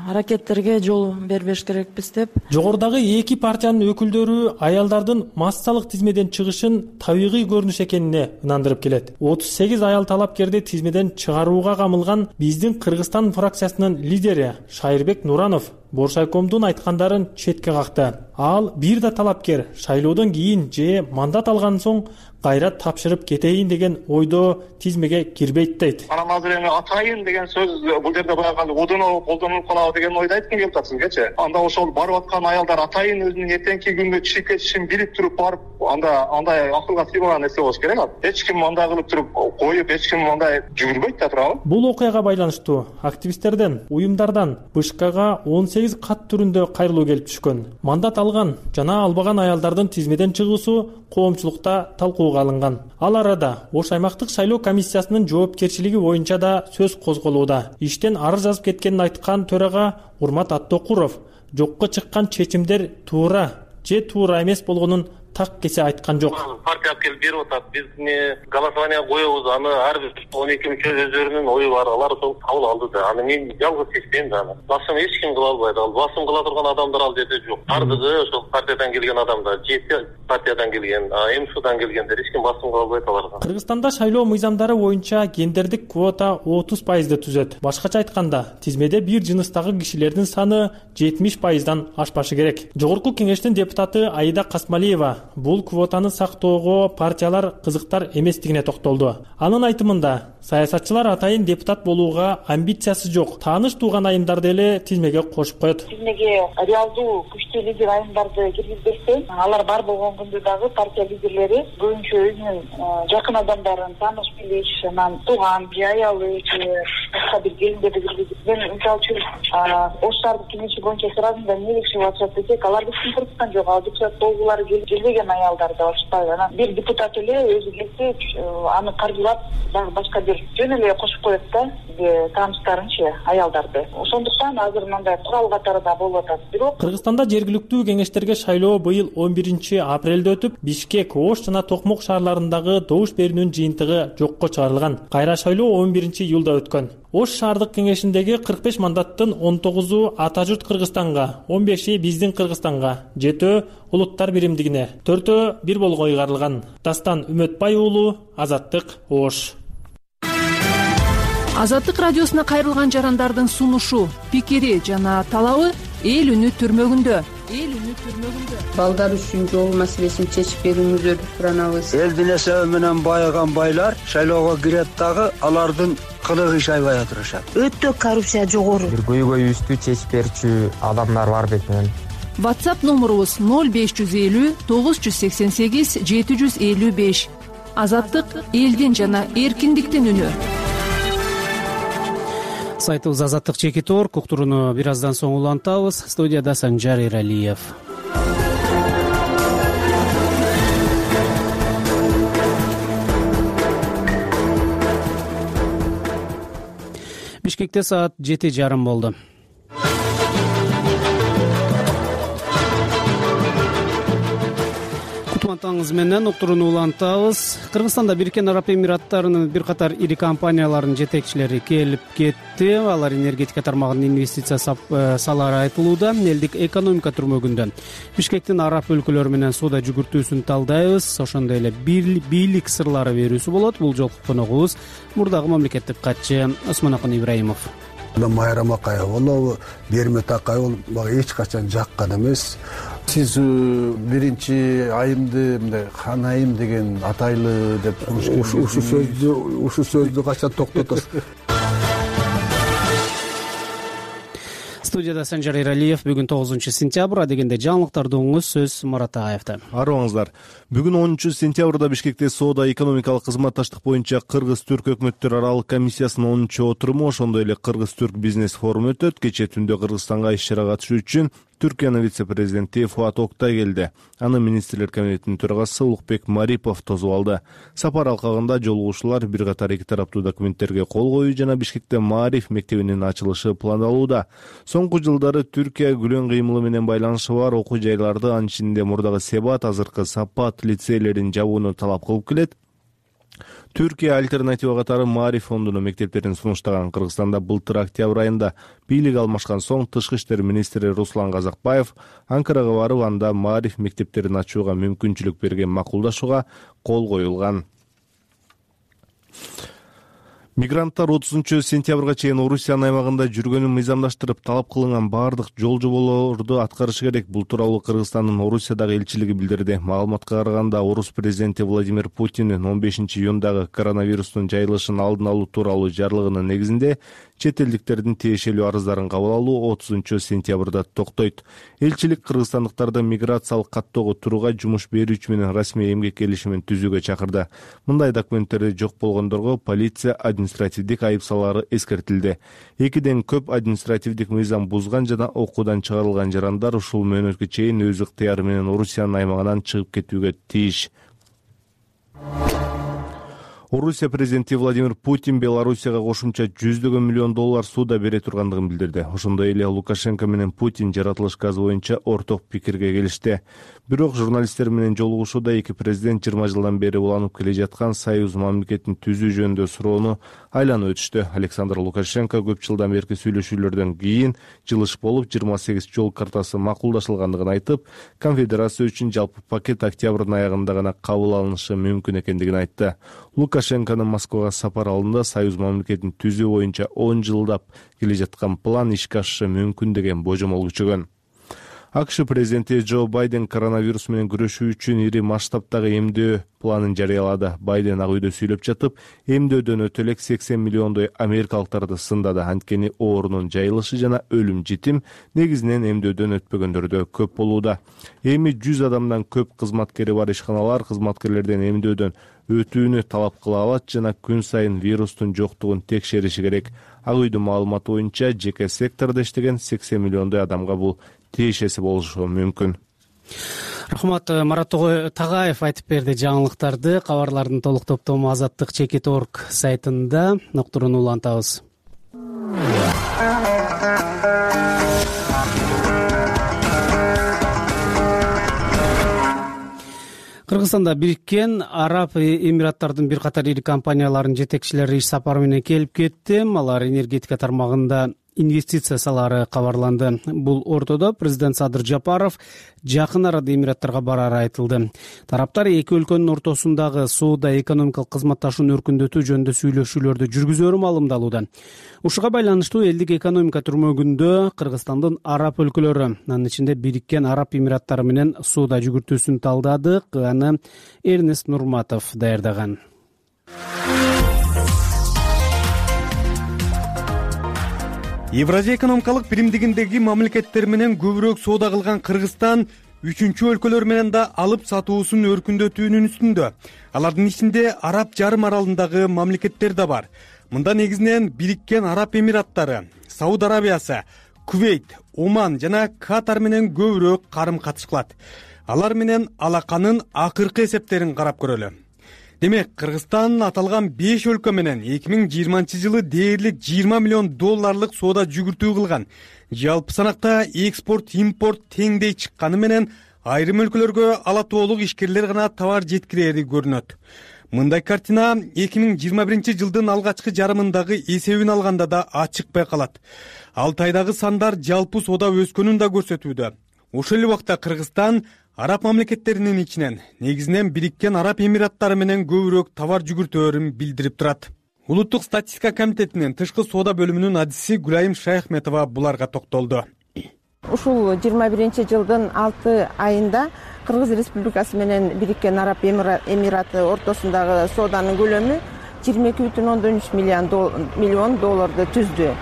аракеттерге жол бербеш керекпиз деп. Жогорудагы эки партиянын өкүлдөрү аялдардын массалык тизмеден чыгышын табигый көрүнүш экенине ынандырып келет. 38 аял талапкерди тизмеден чыгарууга камылган биздин Кыргызстан фракциясынын лидери Шайырбек Нуранов Боршайкомдун айткандарын четке какты. Ал бир да талапкер шайлоодон кийин же мандат алган соң кайра тапшырып кетейин деген ойдо тизмеге кирбейт дейт. Анан азыр эми атайын деген сөз бул жерде баягы удуну колдонулуп калабы деген ойду айткым келип атат сизгечи. Анда ошол барып аткан аялдар атайын өзүнүн эртеңки күндө чыгып кетишин билип туруп барып, андай акылга сыйбаган нерсе болуш керек. Эч ким андай кылып туруп коюп, эч ким андай жүгүрбөйт да туурабы? Бул окуяга байланыштуу активисттерден, уюмдардан БШКга 18 кат түрүндө кайрылуу келип түшкөн. Мандат алган жана албаган аялдардын тизмеден чыгуусу коомчулукта талкууга алынган. Ал арада Ош аймактык шайлоо комиссиясынын жоопкерчилиги боюнча да сөз козголууда. Иштен арыз жазып кеткенин айткан төрага Урмат Аттокуров жокко чыккан чечимдер туура же туура эмес болгонун так кесе айткан жок. Партия келип берип атат. Биз голосование коебуз, аны ар бир 12 мүчө өздөрүнүн ою бар, алар сол кабыл алды да. Аны мен жалгыз чечпейм да. Басым эч ким кыла албайт. Ал басым кыла турган адамдар ал жерде жок. Бардыгы ошол партиядан келген адамдар, жети партиядан келген, МСУдан келгендер, эч ким басым кыла албайт аларга. Кыргызстанда шайлоо мыйзамдары боюнча гендердик квота 30% түзөт. Башкача айтканда, тизмеде бир жыныстагы кишилердин саны 70%дан ашпашы керек. Жогорку кеңештин депутаты Аида Касмалиева бул квотаны сактоого партиялар кызыктар эместигине токтолду. Анын айтымында, саясатчылар атайын депутат болууга амбициясы жок, тааныш тууган айымдарды эле тизмеге кошуп коет. Тизмеге реалдуу күчтүү лидер айымдарды киргизбесте, алар бар болгон күндө дагы партия лидерлери көбүнчө өзүнүн жакын адамдарын, тааныш билиш, анан тууган же аялы же башка бир келиндерди киргизип, мен мисалы үчүн Ош шаардык кеңеши боюнча сурадым да, эмне киши атышат десек, алар биздин Кыргызстан жок, ал депутат болгулары келбеген аялдарды алышпайбы. Анан бир депутат эле өзү келсе, аны каржылап, дагы башка бир жөн эле кошуп коет да, тааныштарынчы аялдарды. Ошондуктан азыр мындай курал катары да болуп атат. Бирок Кыргызстанда жергиликтүү кеңештерге шайлоо быйыл 11-апрелде өтүп, Бишкек, Ош жана Токмок шаарларындагы добуш берүүнүн жыйынтыгы жокко чыгарылган. Кайра шайлоо 11-июлда өткөн. Ош шаардык кеңешиндеги 45 мандаттын 19-у ата журт Кыргызстанга, 15-и биздин Кыргызстанга, 7-өө улуттар биримдигине, 4-өө бир болго ыйгарылган. Дастан Үмүтбай уулу, Азаттык, Ош. Азаттык радиосуна кайрылган жарандардын сунушу, пикири жана талабы эл үнү түрмөгүндө. Балдар үчүн жол маселесин чечип берүүңүздөрдү суранабыз. Элдин эсеби менен байыган байлар шайлоого кирет дагы алардын кылыгы шайбай отурушат. Өтө коррупция жогору. Бир көйгөйүбүздү чечип берчү адамдар бар бек менен. WhatsApp номурубуз 0550 988 755. Азаттык элдин жана эркиндиктин үнү. Сайтыбыз Азаттык чекит орг. Уктурууну бир аздан соң улантабыз. Студияда Санжар Эралиев. Бишкекте саат 7:30 болду. Кутмантаңыз менен уктурууну улантабыз. Кыргызстанда Бириккен Араб Эмираттарынын бир катар ири компанияларынын жетекчилери келип кетти. Алар энергетика тармагына инвестиция салары айтылууда. Элдик экономика түрмөгүндө Бишкектин араб өлкөлөрү менен соода жүгүртүүсүн талдайбыз. Ошондой эле бийлик сырлары берүүсү болот. Бул жолку коногубуз мурдагы мамлекеттик катчы Осмонакын Ибраимов. Майрам Акаева болобу, Бермет Акаева мага эч качан жаккан эмес. Сиз биринчи айымды мындай хан айым деген атайлы деп ушу сөздү качан токтотосуз? Студияда Санжар Эралиев. Бүгүн 9-сентябрь. Дегенде жаңылыктарды угуңуз. Сөз Марат Агаевда. Арыбаңыздар. Бүгүн 10-сентябрда Бишкекте соода экономикалык кызматташтык боюнча Кыргыз-Түрк өкмөттөр аралык комиссиясынын 10-отуруму, ошондой эле Кыргыз-Түрк бизнес форуму өтөт. Кечээ түндө Кыргызстанга иш-чара катышуу үчүн Түркиянын вице-президенти Фуат Октай келди. Аны министрлер кабинетинин төрагасы Улукбек Марипов тосуп алды. Сапар алкагында жолугушуулар бир катар эки тараптуу документтерге кол коюу жана Бишкекте Маариф мектебинин ачылышы пландалууда. Соңку жылдары Түркия күлөн кыймылы менен байланышы бар окуу жайларды, анын ичинде мурдагы Себат, азыркы Сапат лицейлерин жабууну талап кылып келет. Түркия альтернатива катары Маариф фондунун мектептерин сунуштаган. Кыргызстанда былтыр октябрь айында бийлик алмашкан соң Тышкы иштер министри Руслан Казакбаев Анкарага барып, анда Маариф мектептерин ачууга мүмкүнчүлүк берген макулдашууга кол коюлган. Мигранттар 30-сентябрга чейин Орусиянын аймагында жүргөнүн мыйзамдаштырып, талап кылынган бардык жол жоболорду аткарышы керек. Бул тууралуу Кыргызстандын Орусиядагы элчилиги билдирди. Маалыматка караганда, Орус президенти Владимир Путиндин 15-июндагы коронавирустун жайылышын алдын алуу тууралуу жарлыгынын негизинде чет элдиктердин тиешелүү арыздарын кабыл алуу 30-сентябрда токтойт. Элчилик кыргызстандыктарды миграциялык каттоого турууга жумуш берүүчү менен расмий эмгек келишимин түзүүгө чакырды. Мындай документтерди жок болгондорго полиция административдик айып салары эскертилди. 2ден көп административдик мыйзам бузган жана окуудан чыгарылган жарандар ушул мөөнөткө чейин өз ыктыяры менен Орусиянын аймагынан чыгып кетүүгө тийиш. Орусия президенти Владимир Путин Белоруссияга кошумча $100 миллион сууда бере тургандыгын билдирди. Ошондой эле Лукашенко менен Путин жаратылыш газы боюнча орток пикирге келишти. Бирок журналисттер менен жолугушууда эки президент 20 жылдан бери уланып келе жаткан союз мамлекетин түзүү жөнүндө суроону айланып өтүштү. Александр Лукашенко көп жылдан берки сүйлөшүүлөрдөн кийин жылыш болуп 28 жол картасы макулдашылгандыгын айтып, конфедерация үчүн жалпы пакет октябрдын аягында гана кабыл алынышы мүмкүн экендигин айтты. Лукашенконун Москвага сапар алдында союз мамлекетин түзүү боюнча 10 жылдап келе жаткан план ишке ашышы мүмкүн деген божомол күчөгөн. АКШ президенти Джо Байден коронавирус менен күрөшүү үчүн ири масштабтагы эмдөө планын жарыялады. Байден ак үйдө сүйлөп жатып, эмдөөдөн өтө элек 80 миллиондой америкалыктарды сындады. Анткени оорунун жайылышы жана өлүм житим негизинен эмдөөдөн өтпөгөндөрдө көп болууда. Эми 100 адамдан көп кызматкери бар ишканалар кызматкерлерден эмдөөдөн өтүүнү талап кыла алат жана күн сайын вирустун жоктугун текшериши керек. Ак үйдүн маалыматы боюнча жеке сектордо иштеген 80 миллиондой адамга бул тиешеси болушу мүмкүн. Рахмат, Марат Тагаев айтып берди жаңылыктарды. Кабарлардын толук топтому Азаттык чекит орг сайтында. Уктурууну улантабыз. Кыргызстанда Бириккен Араб Эмираттарынын бир катар ири компанияларынын жетекчилери иш сапары менен келип кетти. Алар энергетика тармагында инвестиция салары кабарланды. Бул ортодо президент Садыр Жапаров жакын арада Эмираттарга барары айтылды. Тараптар эки өлкөнүн ортосундагы соода экономикалык кызматташууну өркүндөтүү жөнүндө сүйлөшүүлөрдү жүргүзөрү маалымдалууда. Ушуга байланыштуу элдик экономика түрмөгүндө Кыргызстандын араб өлкөлөрү, анын ичинде Бириккен Араб Эмираттары менен соода жүгүртүүсүн талдадык. Аны Эрнест Нурматов даярдаган. Евразия экономикалык биримдигиндеги мамлекеттер менен көбүрөөк соода кылган Кыргызстан үчүнчү өлкөлөр менен да алып сатуусун өркүндөтүүнүн үстүндө. Алардын ичинде Араб жарым аралындагы мамлекеттер да бар. Мында негизинен Бириккен Араб Эмираттары, Сауд Арабиясы, Кувейт, Оман жана Катар менен көбүрөөк карым-катыш кылат. Алар менен алаканын акыркы эсептерин карап көрөлү. Демек, Кыргызстан аталган 5 өлкө менен 2020-жылы дээрлик 20 миллион долларлык соода жүгүртүү кылган. Жалпы санакта экспорт-импорт теңдей чыкканы менен айрым өлкөлөргө ала тоолук ишкерлер гана товар жеткирери көрүнөт. Мындай картина 2021-жылдын алгачкы жарымындагы эсебин алганда да ачык байкалат. Алтайдагы сандар жалпы соода өскөнүн да көрсөтүүдө. Ошол эле убакта Кыргызстан Араб мамлекеттеринин ичинен негизинен Бириккен Араб Эмираттары менен көбүрөөк товар жүгүртөөрүн билдирип турат. Улуттук статистика комитетинин тышкы соода бөлүмүнүн адиси Гүлайым Шайхметова буларга токтолду. Ушул 21-жылдын 6 айында Кыргыз Республикасы менен Бириккен Араб Эмираты ортосундагы сооданын көлөмү 22,3 миллион долларды түздү.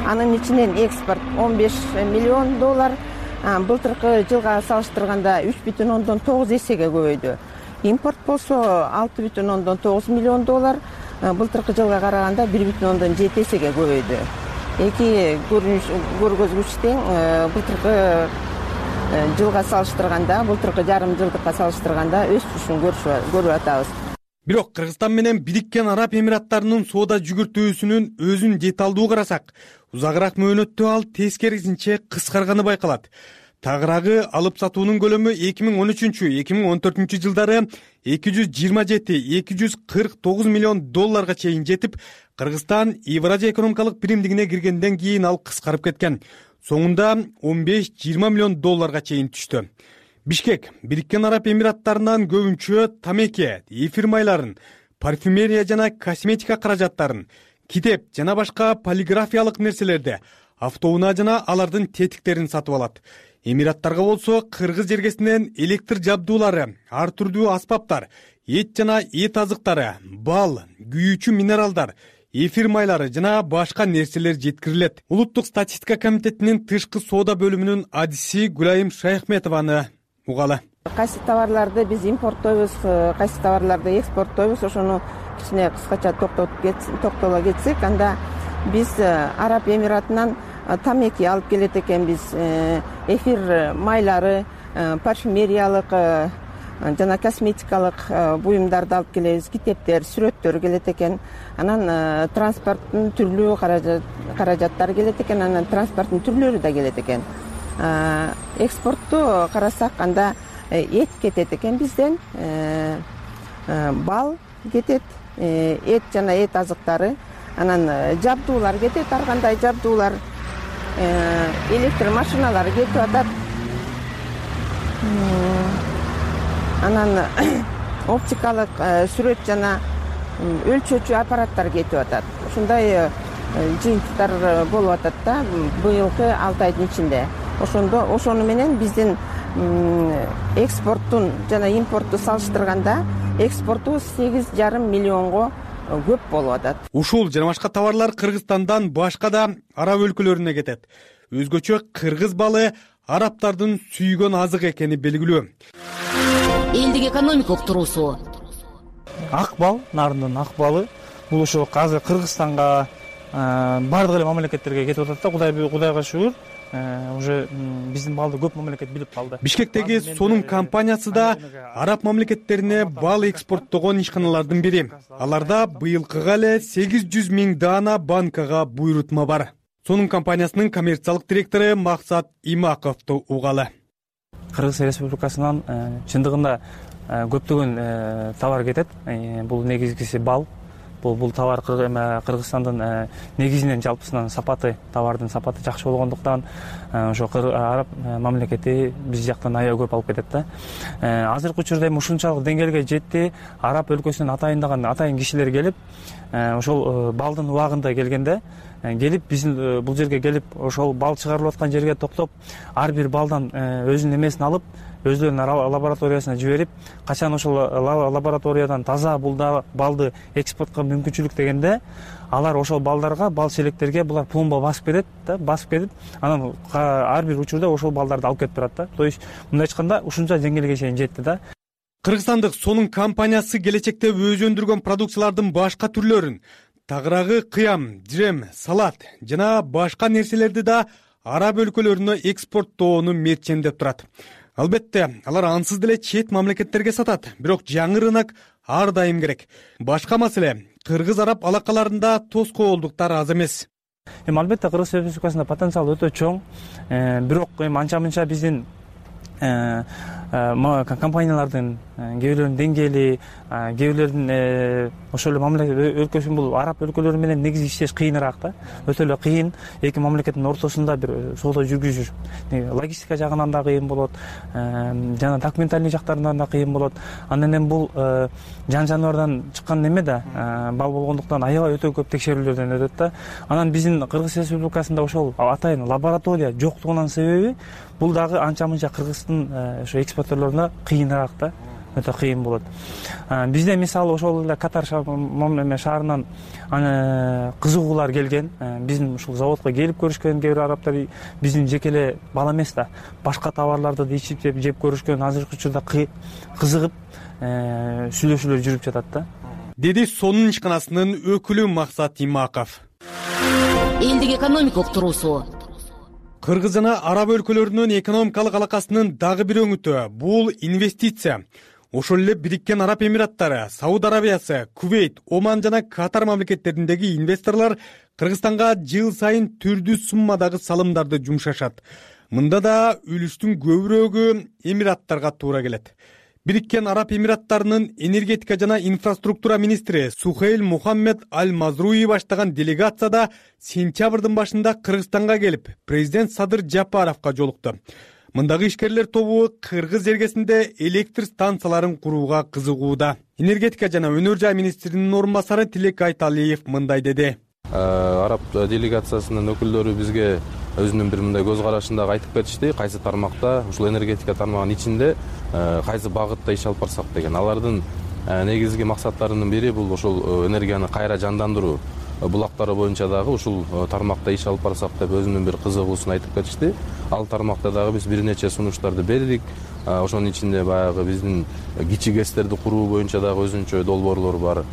Анын ичинен экспорт 15 миллион доллар, былтыркы жылга салыштырганда 3,9 эсеге көбөйдү. Импорт болсо 6,9 миллион доллар, былтыркы жылга караганда 1,7 эсеге көбөйдү. Эки көргөзгүч тең, былтыркы жылга салыштырганда, былтыркы жарым жылдыкка салыштырганда өсүшүн көрүп атабыз. Бирок Кыргызстан менен Бириккен Араб Эмираттарынын соода жүгүртүүсүнүн өзүн деталдуу карасак, узагыраак мөөнөттө ал тескерисинче кыскарганы байкалат. Тагыраагы алып сатуунун көлөмү 2013-2014 жылдары 227-249 миллион долларга чейин жетип, Кыргызстан Евразия экономикалык биримдигине киргенден кийин ал кыскарып кеткен. Соңунда 15-20 миллион долларга чейин түштү. Бишкек Бириккен Араб Эмираттарынан көбүнчө тамеки, эфир майларын, парфюмерия жана косметика каражаттарын, китеп жана башка полиграфиялык нерселерди, автоунаа жана алардын тетиктерин сатып алат. Эмираттарга болсо кыргыз жергесинен электр жабдуулары, ар түрдүү аспаптар, эт жана эт азыктары, бал, күйүүчү минералдар, эфир майлары жана башка нерселер жеткирилет. Улуттук статистика комитетинин тышкы соода бөлүмүнүн адиси Гүлайым Шайхметованы угалы. Кайсы товарларды биз импорттойбуз, кайсы товарларды экспорттойбуз, ошону кичине кыскача токтоло кетсек, анда биз Араб Эмиратынан тамеки алып келет экенбиз, эфир майлары, парфюмериялык жана косметикалык буюмдарды алып келебиз, китептер, сүрөттөр келет экен. Анан транспорттун түрлүү каражаттары келет экен, анан транспорттун түрлөрү да келет экен. Экспортту карасак, анда эт кетет экен бизден, бал кетет, эт жана эт азыктары, анан жабдуулар кетет, ар кандай жабдуулар, электр машиналары кетип атат. Анан оптикалык сүрөт жана өлчөөчү аппараттар кетип атат. Ушундай жыйынтыктар болуп атат да быйылкы 6 айдын ичинде. Ошону менен биздин экспорттун жана импортту салыштырганда экспорту 8,5 миллионго көп болуп атат. Ушул жана башка товарлар Кыргызстандан башка да араб өлкөлөрүнө кетет. Өзгөчө кыргыз балы арабтардын сүйгөн азык экени белгилүү. Элдик экономика уктуруусу. Ак бал, нарындын ак балы бул ошо азыр Кыргызстанга бардык эле мамлекеттерге кетип атат да, Кудайга шүгүр. Уже биздин балды көп мамлекет билип калды. Бишкектеги сонун компаниясы да араб мамлекеттерине бал экспорттогон ишканалардын бири. Аларда быйылкыга эле 800 000 даана банкага буйрутма бар. Сонун компаниясынын коммерциялык директору Максат Имаковду угалы. Кыргыз Республикасынан чындыгында көптөгөн товар кетет. Бул негизгиси бал. Бул товар Кыргызстандын негизинен жалпысынан товардын сапаты жакшы болгондуктан ошо араб мамлекети биз жактан аябай көп алып кетет да. Азыркы учурда эми ушунчалык деңгээлге жетти. Араб өлкөсүнөн атайын кишилер келип, ошол балдын убагында келгенде келип биздин бул жерге келип ошол бал чыгарылып аткан жерге токтоп, ар бир балдан өзүнүн эмесин алып, өздөрүнүн лабораториясына жиберип, качан ошол лабораториядан таза балды экспортко мүмкүнчүлүк дегенде, алар ошол балдарга, бал челектерге булар пломба басып кетет да, басып кетип, анан ар бир учурда ошол балдарды алып кетип турат да. То есть мындай айтканда ушунча деңгээлге чейин жетти да. Кыргызстандык сонун компаниясы келечекте өзү өндүргөн продукциялардын башка түрлөрүн, тагыраагы кыям, жем, салат жана башка нерселерди да араб өлкөлөрүнө экспорттоону мерчемдеп турат. Албетте, алар ансыз деле чет мамлекеттерге сатат, бирок жаңы рынок ар дайым керек. Башка маселе, кыргыз-араб алакаларында тоскоолдуктар аз эмес. Албетте, Кыргыз Республикасында потенциал өтө чоң, бирок анча-мынча биздин компаниялардын кээ бирлеринин деңгээли, кээ бирлеринин ошол эле мамлекет өлкөсүн бул араб өлкөлөрү менен негизи иштеш кыйыныраак да. Өтө эле кыйын, эки мамлекеттин ортосунда бир соода жүргүзүш. Логистика жагынан да кыйын болот, жана документальный жактарынан да кыйын болот. Андан эми бул жан-жаныбардан чыккан неме да, бал болгондуктан аябай өтө көп текшерүүлөрдөн өтөт да. Анан биздин Кыргыз Республикасында ошол атайын лаборатория жоктугунун себеби бул дагы анча-мынча Кыргыздын ошо экспортерлоруна кыйыныраак да, өтө кыйын болот. Бизде мисалы ошол эле Катар шаарынан кызыгуулар келген, биздин ушул заводко келип көрүшкөн кээ бир арабтар, биздин жеке эле бал эмес да, башка товарларды да ичип жеп көрүшкөн, азыркы учурда кызыгып сүйлөшүүлөр жүрүп жатат да. Деди сонун ишканасынын өкүлү Максат Имаков. Элдик экономика уктуруусу. Кыргыз жана араб өлкөлөрүнүн экономикалык алакасынын дагы бир өңүтү бул инвестиция. Ошол эле Бириккен Араб Эмираттары, Сауд Арабиясы, Кувейт, Оман жана Катар мамлекеттериндеги инвесторлор Кыргызстанга жыл сайын түрдүү суммадагы салымдарды жумшашат. Мында да үлүштүн көбүрөөгү Эмираттарга туура келет. Бириккен Араб Эмираттарынын энергетика жана инфраструктура министри Сухейл Мухаммед Аль-Мазруи баштаган делегацияда сентябрдын башында Кыргызстанга келип, президент Садыр Жапаровго жолукту. Мындагы ишкерлер тобу Кыргыз жергесинде электр станцияларын курууга кызыгууда. Энергетика жана өнөр жай министринин орун басары Тилек Айталиев мындай деди. Араб делегациясынын өкүлдөрү бизге өзүнүн бир мындай көз карашын дагы айтып кетишти. Кайсы тармакта, ушул энергетика тармагынын ичинде кайсы багытта иш алып барсак деген. Алардын негизги максаттарынын бири бул ошол энергияны кайра жандандыруу. Булактары боюнча дагы ушул тармакта иш алып барсак деп өзүнүн бир кызыгуусун айтып кетишти. Ал тармакта дагы биз бир нече сунуштарды бердик. Ошонун ичинде баягы биздин кичи ГЭСтерди куруу боюнча дагы өзүнчө долбоорлор бар.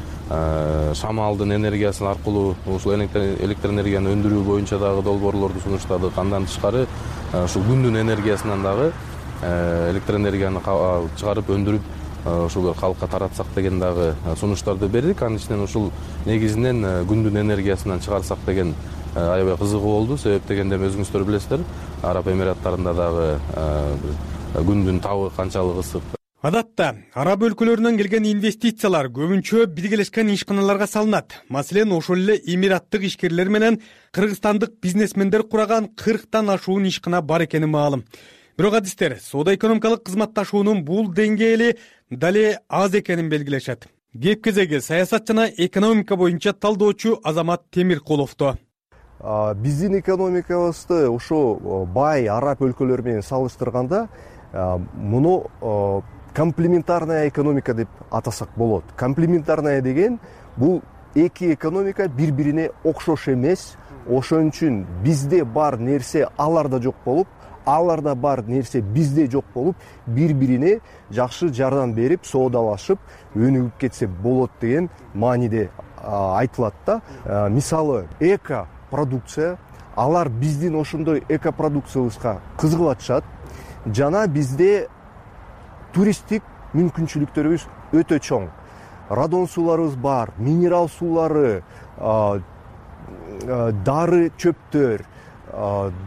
Шамалдын энергиясы аркылуу ушул электр энергияны өндүрүү боюнча дагы долбоорлорду сунуштадык. Андан тышкары ушул күндүн энергиясынан дагы электр энергияны чыгарып өндүрүп ушул калкка таратсак деген дагы сунуштарды бердик. Анын ичинен ушул негизинен күндүн энергиясынан чыгарсак деген аябай кызыгуу болду. Себеп дегенде өзүңүздөр билесиздер, Араб Эмираттарында дагы күндүн табы канчалык ысык. Адатта араб өлкөлөрүнөн келген инвестициялар көбүнчө биргелешкен ишканаларга салынат. Маселен, ошол эле эмираттык ишкерлер менен кыргызстандык бизнесмендер кураган 40тан ашуун ишкана бар экени маалым. Бирок адистер соода-экономикалык кызматташуунун бул деңгээли дале аз экенин белгилешет. Кеп кезеги саясат жана экономика боюнча талдоочу Азамат Темиркуловду. Биздин экономикабызды ошо бай араб өлкөлөрү менен салыштырганда муну комплементарная экономика деп атасак болот. Комплементарная деген бул эки экономика бири-бирине окшош эмес. Ошон үчүн бизде бар нерсе аларда жок болуп, аларда бар нерсе бизде жок болуп, бири-бирине жакшы жардам берип, соодалашып, өнүгүп кетсе болот деген мааниде айтылат да. Мисалы, эко продукция, алар биздин ошондой эко продукциябызга кызыгып жана бизде туристтик мүмкүнчүлүктөрүбүз өтө чоң. Радон сууларыбыз бар, минерал суулары, дары чөптөр,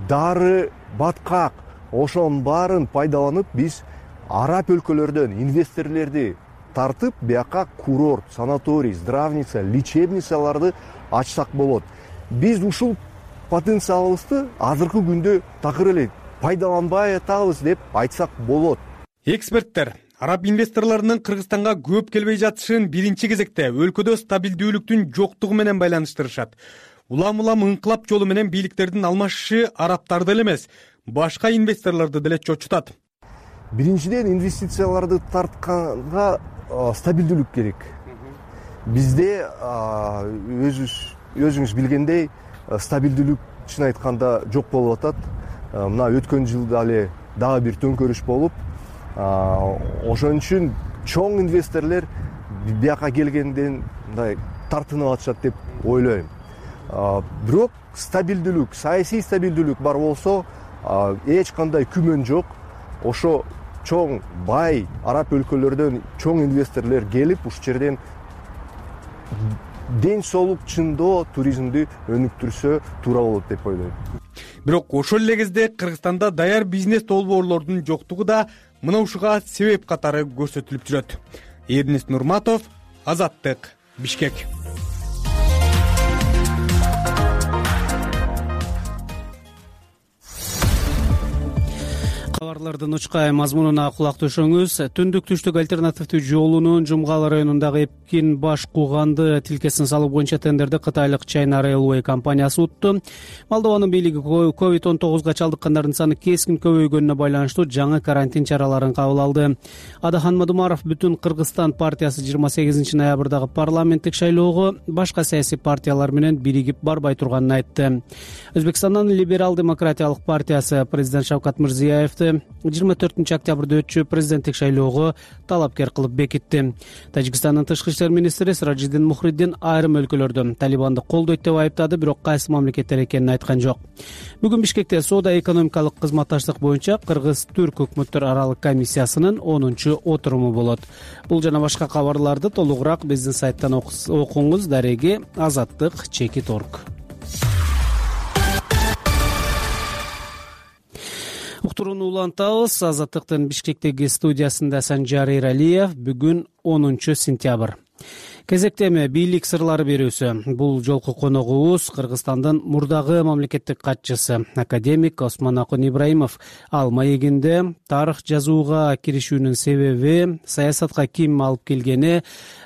дары баткак, ошонун баарын пайдаланып биз араб өлкөлөрдөн инвесторлорду тартып, бияка курорт, санаторий, здравница, лечебницаларды ачсак болот. Биз ушул потенциалыбызды азыркы күндө такыр эле пайдаланбай атабыз деп айтсак болот. Эксперттер араб инвесторлорунун Кыргызстанга көп келбей жатышын биринчи кезекте өлкөдө стабилдүүлүктүн жоктугу менен байланыштырышат. Улам-улам ыңкылап жолу менен бийликтердин алмашышы арабтарды эле эмес, башка инвесторлорду деле чочутат. биринчиден инвестицияларды тартканга стабилдүүлүк керек. Бизде өзүңүз билгендей стабилдүүлүк чын айтканда жок болуп атат. Мына өткөн жылда эле дагы бир төңкөрүш болуп, ошон үчүн чоң инвесторлор бияка келгенден мындай тартынып атышат деп ойлойм. Бирок стабилдүүлүк, саясий стабилдүүлүк бар болсо, эч кандай күмөн жок. Ошо чоң бай араб өлкөлөрдөн чоң инвесторлор келип, ушул жерден ден соолук чындоо туризмди өнүктүрсө туура болот деп ойлойм. Бирок ошол эле кезде Кыргызстанда даяр бизнес долбоорлордун жоктугу да мына ушуга себеп катары көрсөтүлүп жүрөт. Эрнест Нурматов, Азаттык, Бишкек. Кабарлардын учкай мазмунуна кулак түшүңүз. Түндүк-түштүк альтернативдүү жолунун Жумгал районундагы Эпкин Баш Кууганды тилкесин салуу боюнча тендерди кытайлык China Railway компаниясы утту. Молдованын бийлиги COVID-19 чалдыккандардын саны кескин көбөйгөнүнө байланыштуу жаңы карантин чараларын кабыл алды. Адахан Мадумаров Бүтүн Кыргызстан партиясы 28 ноябрдагы парламенттик шайлоого башка саясий партиялар менен биригип барбай турганын айтты. Өзбекстандын Либерал демократиялык партиясы президент Шавкат Мирзиёевди 24 октябрда өтчү президенттик шайлоого талапкер кылып бекитти. Тажикстандын тышкы иштер министри Сиражиддин Мухриддин айрым өлкөлөрдө Талибанды колдойт деп айыптады, бирок кайсы мамлекеттер экенин айткан жок. Бүгүн Бишкекте соода-экономикалык кызматташтык боюнча Кыргыз-Түрк өкмөттөр аралык комиссиясынын 10-отуруму болот. Бул жана башка кабарларды толугураак биздин сайттан окуңуз. Дареги Азаттык.org. Уктурууну улантабыз. Азаттыктын Бишкектеги студиясында Санжар Эралиев. Бүгүн 10 сентябрь. Кезектеме бийлик сырлары берүүсү. Бул жолку коногубуз Кыргызстандын мурдагы мамлекеттик катчысы академик Осмон Акун Ибраимов. Ал маегинде тарых жазууга киришүүнүн себеби, саясатка ким алып келгени,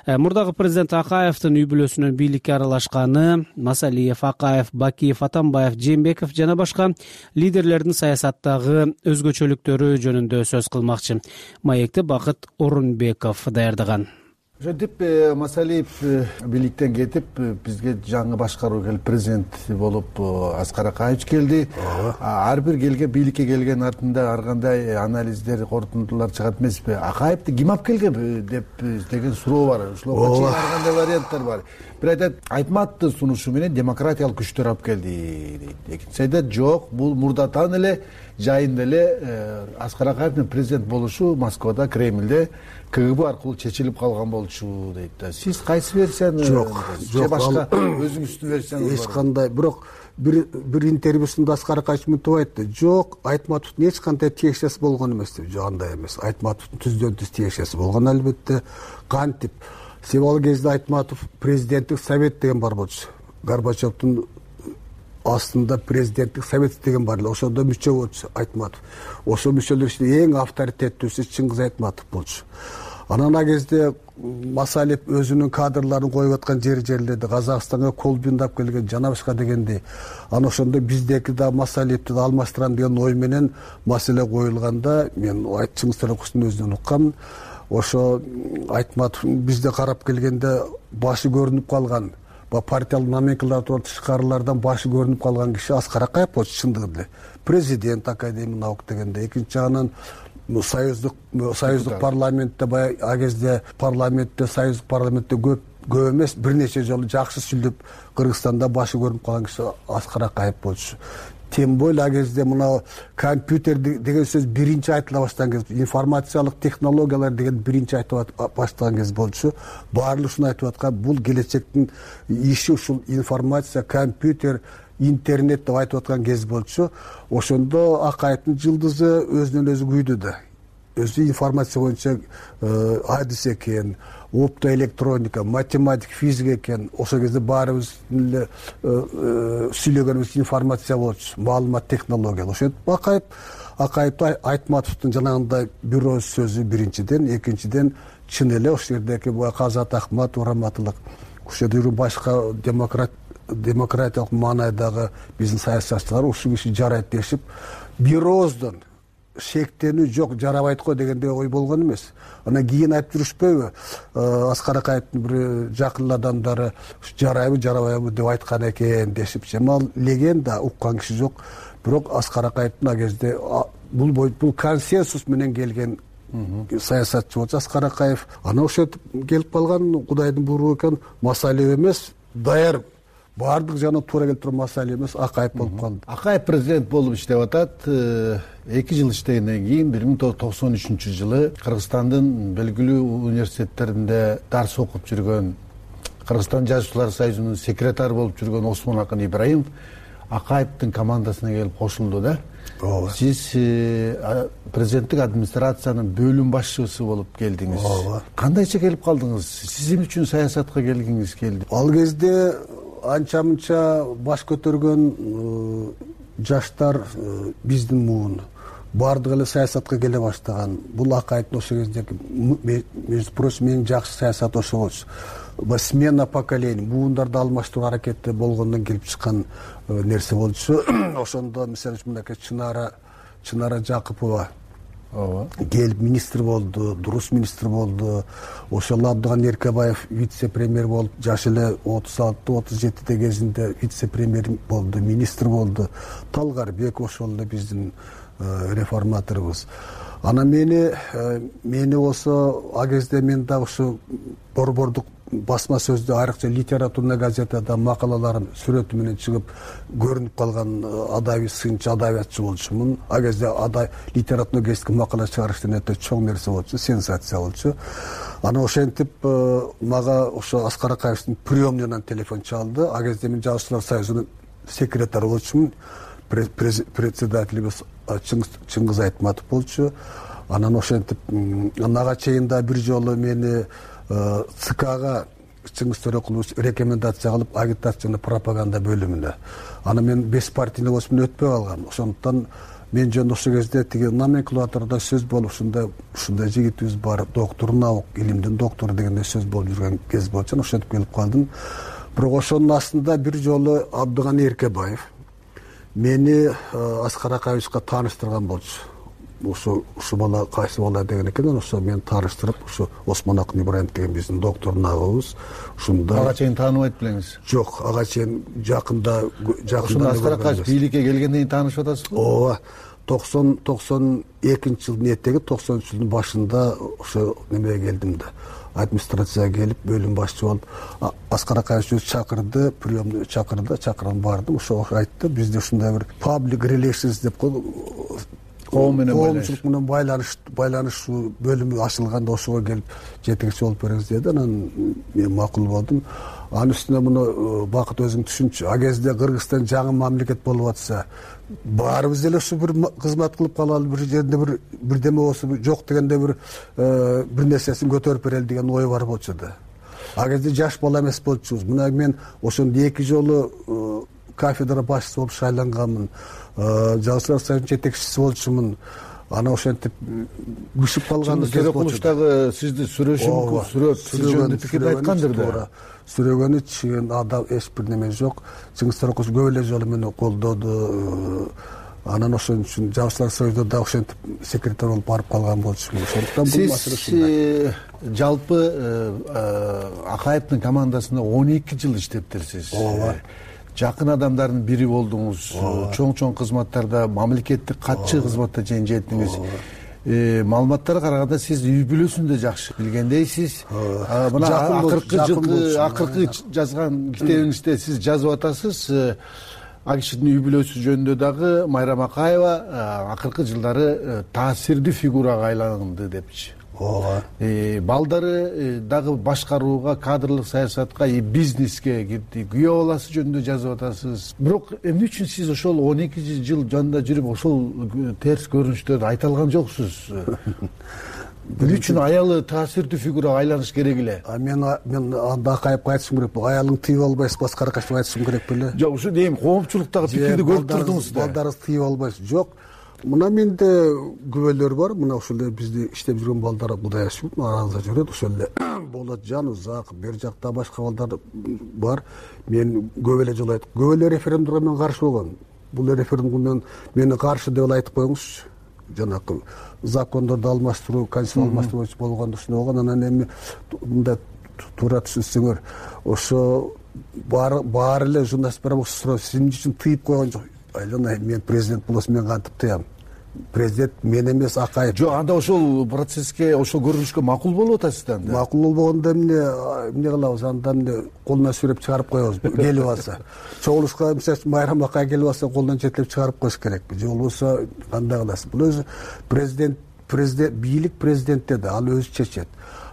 мурдагы президент Акаевдин үй бүлөсүнүн бийликке аралашканы, Масалиев, Акаев, Бакиев, Атамбаев, Жээнбеков жана башка лидерлердин саясаттагы өзгөчөлүктөрү жөнүндө сөз кылмакчы. Маекти Бакыт Орунбеков даярдаган. Ошентип Масалиев бийликтен кетип, бизге жаңы башкаруу келип, президент болуп Аскар Акаевич келди. Ар бир келген бийликке келген артында ар кандай анализдер, корутундулар чыгат эмеспи? Акаевди ким алып келген деп деген суроо бар. Ошолорго чейин ар кандай варианттар бар. Бир айтат, Айтматовдун сунушу менен демократиялык күчтөр алып келди дейт. Экинчиси айтат, жок, бул мурдатан эле жайында эле Аскар Акаевдин президент болушу Москвада, Кремльде КГБ аркылуу чечилип калган болчу дейт да. Сиз кайсы версияны? Жок, башка өзүңүздүн версияңыз бар? Эч кандай, бирок бир интервьюсунда Аскар Акаевич мынтип айтты. Жок, Айтматовдун эч кандай тиешеси болгон эмес деп. Жок, андай эмес. Айтматовдун түздөн түз тиешеси болгон албетте. Кантип? Себеби ал кезде Айтматов президенттик совет деген бар болчу. Горбачевдун астында президенттик совет деген бар эле. Ошондо мүчө болчу Айтматов. Ошол мүчөлөр ичинде эң авторитеттүүсү Чыңгыз Айтматов болчу. Анан ал кезде Масалиев өзүнүн кадрларын коюп аткан жерлерде Казакстанга колбундап келген жана башка дегендей. Анан ошондо биздеки да Масалиевди да алмаштырам деген ой менен маселе коюлганда, мен Чыңгыз Төлөкбаевдун өзүнөн уккам. Ошо Айтматов бизде карап келгенде башы көрүнүп калган, партиялык номенклатура тышкарылардан башы көрүнүп калган киши Аскар Акаев болчу чындыгында эле. Президент, академик наук дегенде. Экинчи жагынан союздук парламентте баягы а кезде союздук парламентте көп эмес, бир нече жолу жакшы сүйлөп Кыргызстанда башы көрүнүп калган киши Аскар Акаев болчу. Тем более а кезде мына компьютер деген сөз биринчи айтыла баштаган кез, информациялык технологиялар деген биринчи айтыла баштаган кез болчу. Баардыгы ушуну айтып аткан, бул келечектин иши ушул информация, компьютер, интернет деп айтып аткан кез болчу. Ошондо Акаевдин жылдызы өзүнөн өзү күйдү да. Өзү информация боюнча адис экен, оптоэлектроника, математика, физика экен. Ошол кезде баарыбыз эле сүйлөгөнүбүз информация болчу, маалымат технология. Ошентип Акаевди Айтматовдун жанагындай бирөө сөзү биринчиден, экинчиден чын эле ошол жердеки Казат Ахматов, Раматылык, ошол жердеги башка демократиялык маанайдагы биздин саясатчылар ушул киши жарайт дешип, бир ооздон шектенүү жок, жарабайт го дегендей ой болгон эмес. Анан кийин айтып жүрүшпөйбү, Аскар Акаевдин бир жакын адамдары жарайбы жарабайбы деп айткан экен дешипчи. Эми ал легенда, уккан киши жок. Бирок Аскар Акаевдин ал кезде бул консенсус менен келген саясатчы болчу Аскар Акаев. Анан ошентип келип калган, Кудайдын буйругу экен, масале эмес, даяр баардык жана туура келип турган масале эмес, Акаев болуп калды. Акаев президент болуп иштеп атат. 2 жыл иштегенден кийин 1993-жылы Кыргызстандын белгилүү университеттеринде дарс окуп жүргөн, Кыргызстан жазуучулар союзунун секретары болуп жүргөн Осмон Акын Ибраимов Акаевдин командасына келип кошулду да. Сиз президенттик администрациянын бөлүм башчысы болуп келдиңиз. Кандайча келип калдыңыз? Сиз эмне үчүн саясатка келгиңиз келди? Ал кезде анча-мынча баш көтөргөн жаштар биздин муун баардыгы эле саясатка келе баштаган. Бул Акаевдин ошол кездеги, между прочим, эң жакшы саясат ошо болчу. Смена поколений, муундарды алмаштыруу аракети болгондон келип чыккан нерсе болчу. Ошондо мисалы үчүн мынакей Чынара Жакыпова келип министр болду, дурус министр болду. Ошол Абдыган Эркебаев вице-премьер болуп, жашы эле 36-37 кезинде вице-премьер болду, министр болду. Талгарбек ошол эле биздин реформаторубуз. Анан мени болсо ал кезде мен дагы ушу борбордук басма сөздө, айрыкча литературный газетада макалаларым сүрөтү менен чыгып көрүнүп калган адабий сынчы, адабиятчы болчумун. Ал кезде литературный газетке макала чыгарыш деген өтө чоң нерсе болчу, сенсация болчу. Анан ошентип мага ошо Аскар Акаевдин приемныйынан телефон чалды. Ал кезде мен Жазуучулар союзунун секретары болчумун. Председателибиз Чыңгыз Айтматов болчу. Анан ошентип ага чейин да бир жолу мени ЦКга Чыңгыз Төрөкулович рекомендация кылып, агитация пропаганда бөлүмүнө. Анан мен беспартийный болсом өтпөй калгам. Ошондуктан мен жөн ошол кезде тиги номенклатурада сөз болуп, ушундай жигитибиз бар, доктор наук, илимдин доктору дегендей сөз болуп жүргөн кез болчу. Ошентип келип калдым. Бирок ошонун астында бир жолу Абдыган Эркебаев мени Аскар Акаевичке тааныштырган болчу. Ушу бала кайсы бала деген экен, ошо мени тааныштырып, ушу Осмон Акын Ибраимов деген биздин доктор нагыбыз. Ушунда ага чейин тааныбайт белеңиз? Жок, ага чейин жакында Аскар Акаевич бийликке келгенден кийин таанышып атасызбы? Ооба. 92-жылдын этеги, 93-жылдын башында ошо немеге келдим да. Администрацияга келип, бөлүм башчы болуп, Аскар Акаевич чакырды, приемный чакырган бардым. Ошо айтты, бизде ушундай бир public relations деп коомчулук менен байланыш бөлүмү ачылганда ошого келип жетекчи болуп бериңиз деди. Анан мен макул болдум. Анын үстүнө муну Бакыт өзүң түшүнчү. А кезде Кыргызстан жаңы мамлекет болуп атса, баарыбыз эле ушу бир кызмат кылып калалы, бир жерде бирдеме болсо жок дегенде бир нерсесин көтөрүп берели деген ой бар болчу да. А кезде жаш бала эмес болчубуз. Мына мен ошондо 2 жолу кафедра башчысы болуп шайланганмын. Жазуучулар союзунун жетекчиси болчумун. Ана ошентип күшүп калган кез болчу. Дагы сизди сүрөшүп, сүрөт пикир айткандыр да. Сүрөгөнү чыгын адам эч бир неме жок. Чыңгыз Төрөкулович көп эле жолу мени колдоду. Анан ошон үчүн Жазуучулар союзунда да ошентип секретарь болуп барып калган болчумун. Ошондуктан бул маселе ушундай. Сиз жалпы Акаевдин командасында 12 жыл иштептирсиз. Ооба. Жакын адамдардын бири болдуңуз. Чоң кызматтарда, мамлекеттик катчы кызматта чейин жеттиңиз. Маалыматтарга караганда сиз үй бүлөсүн да жакшы билгендейсиз. Мына акыркы жазган китебиңизде сиз жазып атасыз. Ал кишинин үй бүлөсү жөнүндө дагы Майрам Акаева акыркы жылдары таасирдүү фигурага айланды депчи. Балдары дагы башкарууга, кадрлык саясатка, бизнеске кирди. Күйөө баласы жөнүндө жазып атасыз. Бирок эмне үчүн сиз ошол 12 жыл жанында жүрүп ошол терс көрүнүштөрдү айта алган жоксуз? Эмне үчүн аялы таасирдүү фигурага айланыш керек эле? Мен анда Акаевге айтышым керек. Аялың тыйып албайсыз, Аскар Акаевге айтышым керек беле? Жок, ушу дейм, коомчулуктагы пикирди көрүп турдуңуз да. Балдарыңыз тыйып албайсыз. Жок. Мына менде күбөлөр бар. Мына ошол эле бизде иштеп жүргөн балдар Кудай ашып, аранызда жүрөт. Ошол эле Болот Жанузак, бер жакта башка балдар бар. Мен көп эле жолу айттым. Көп эле референдумга мен каршы болгом. Бул референдумга мени каршы деп айтып коюңузчу. жанагы закондорду алмаштыруу, конституцияны алмаштыруу болгондо ушундай болгон. Анан эми мындай туура түшүнсөңөр, ошо баары эле журналисттер суроо, сиз үчүн тыйып койгон жок. Айлана, мен президент болсом мен кантип тыям? Президент мен эмес, Акаев. Жок, анда ошол процесске, ошол көрүнүшкө макул болуп атасыз да. Макул болбогондо эмне кылабыз? Анда эмне колуна сүрөп чыгарып коебуз, келип алса. Чогулушка мисалы Майрам Акай келип алса, колунан жетелеп чыгарып коюш керекпи? Же болбосо кандай кыласыз? Бул өзү президент бийлик президентте да, ал өзү чечет.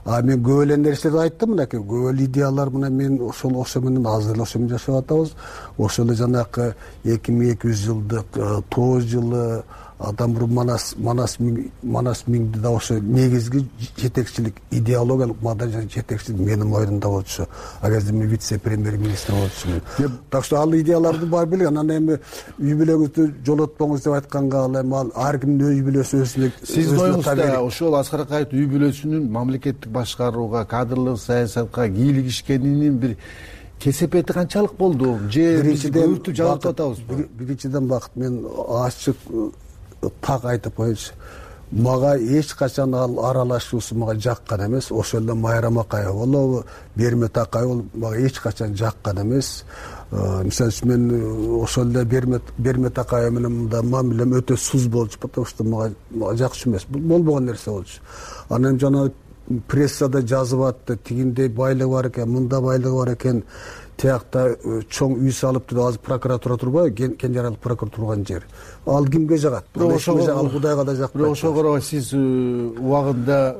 Мен көп эле нерселерди айттым, мынакей көп эле идеялар мына мен ошо менен азыр эле ошо менен жашап атабыз. Ошол эле жанагы 2200 жылдык тоо жылы адам манас миңди да ошо негизги жетекчилик, идеологиялык маданий жетекчилик менин мойнумда болчу. А кезде мен вице-премьер-министр болчумун. Так что ал идеяларды бар билген. Анан эми үй бүлөңүздү жолотпоңуз деп айтканга ал ар кимдин үй бүлөсү өзүнө. Сиздин оюңузда ошол Аскар Акаевдин үй бүлөсүнүн мамлекеттик башкарууга, кадрлык саясатка кийлигишкенинин бир кесепети канчалык болду? Же көбүртүп жабып атабызбы? Биринчиден бакыт, мен ачык так айтып коеюнчу. Мага эч качан ал аралашуусу мага жаккан эмес. Ошол эле Майрам Акаев болобу, Бермет Акаев болобу, мага эч качан жаккан эмес. Мисалы үчүн мен ошол эле Бермет Акаев менен мында мамилем өтө суз болчу, потому что мага жакшы эмес. Болбогон нерсе болчу. Анан жана прессада жазып атты, тигиндей байлыгы бар экен, мында байлыгы бар экен. Тиякта чоң үй салыптыр, азыр прокуратура турбайбы? Кенжерал прокуратура турган жер. Ал кимге жагат? Ал Кудайга да жакпайт. Бирок ошого сиз убагында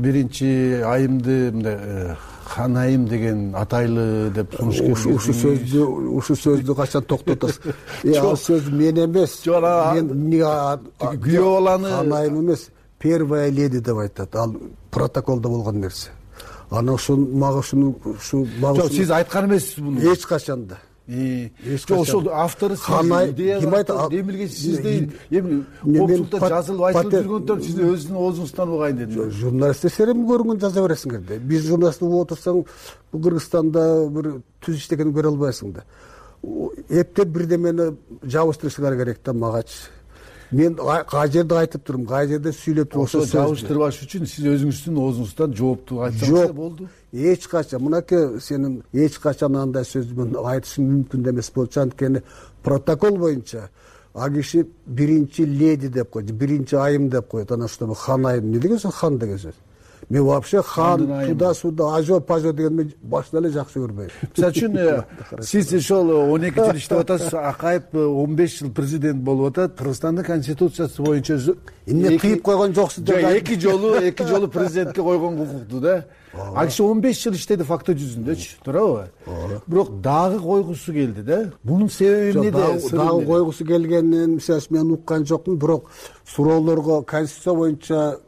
биринчи айымды мындай хан айым деген атайлы деп сунуш ушу сөздү качан токтотосуз? Ал сөз мен эмес. Мен күйөө баланы хан айым эмес, первая леди деп айтат. Ал протоколдо болгон нерсе. Ана мага ушуну жок, сиз айткан эмессиз муну. Эч качан да. Жок, ошол автору ким айтат? Эмилге сиздей эми коопчулукта жазылып айтылып жүргөндөн сиз өзүнүн оозуңуздан угайын дедим. Журналисттер серем көрүнгөн жаза бересиңер да. Биз журналист угуп отурсаң, бул Кыргызстанда бир түз иштегенин көрө албайсың да. Эптеп бирдемени жабыштырышыңар керек да магачы. Мен кай жерде айтып турмун, кай жерде сүйлөп турмун. Ошо жабыштырбаш үчүн сиз өзүңүздүн оозуңуздан жоопту айтсаңыз болду. Эч качан, мынакей сенин эч качан андай сөзүн айтышың мүмкүн эмес болчу. Анткени протокол боюнча а киши биринчи леди деп койду, биринчи айым деп коет. Анан ошто хан айым эмне деген сөз? Хан деген сөз. Мен вообще хан, туда-суда, ажо-пажо деген мен башынан эле жакшы көрбөйм. Мисалы үчүн сиз ошол 12 жыл иштеп атасыз, Акаев 15 жыл президент болуп атат. Кыргызстандын конституциясы боюнча эмне кыйып койгон жоксуз деп. Эки жолу президентке койгон укукту да. А киши 15 жыл иштеди факты жүзүндөчү, туурабы? Бирок дагы койгусу келди да. Бунун себеби эмнеде? Дагы койгусу келгенин мисалы мен уккан жокмун, бирок суроолорго конституция боюнча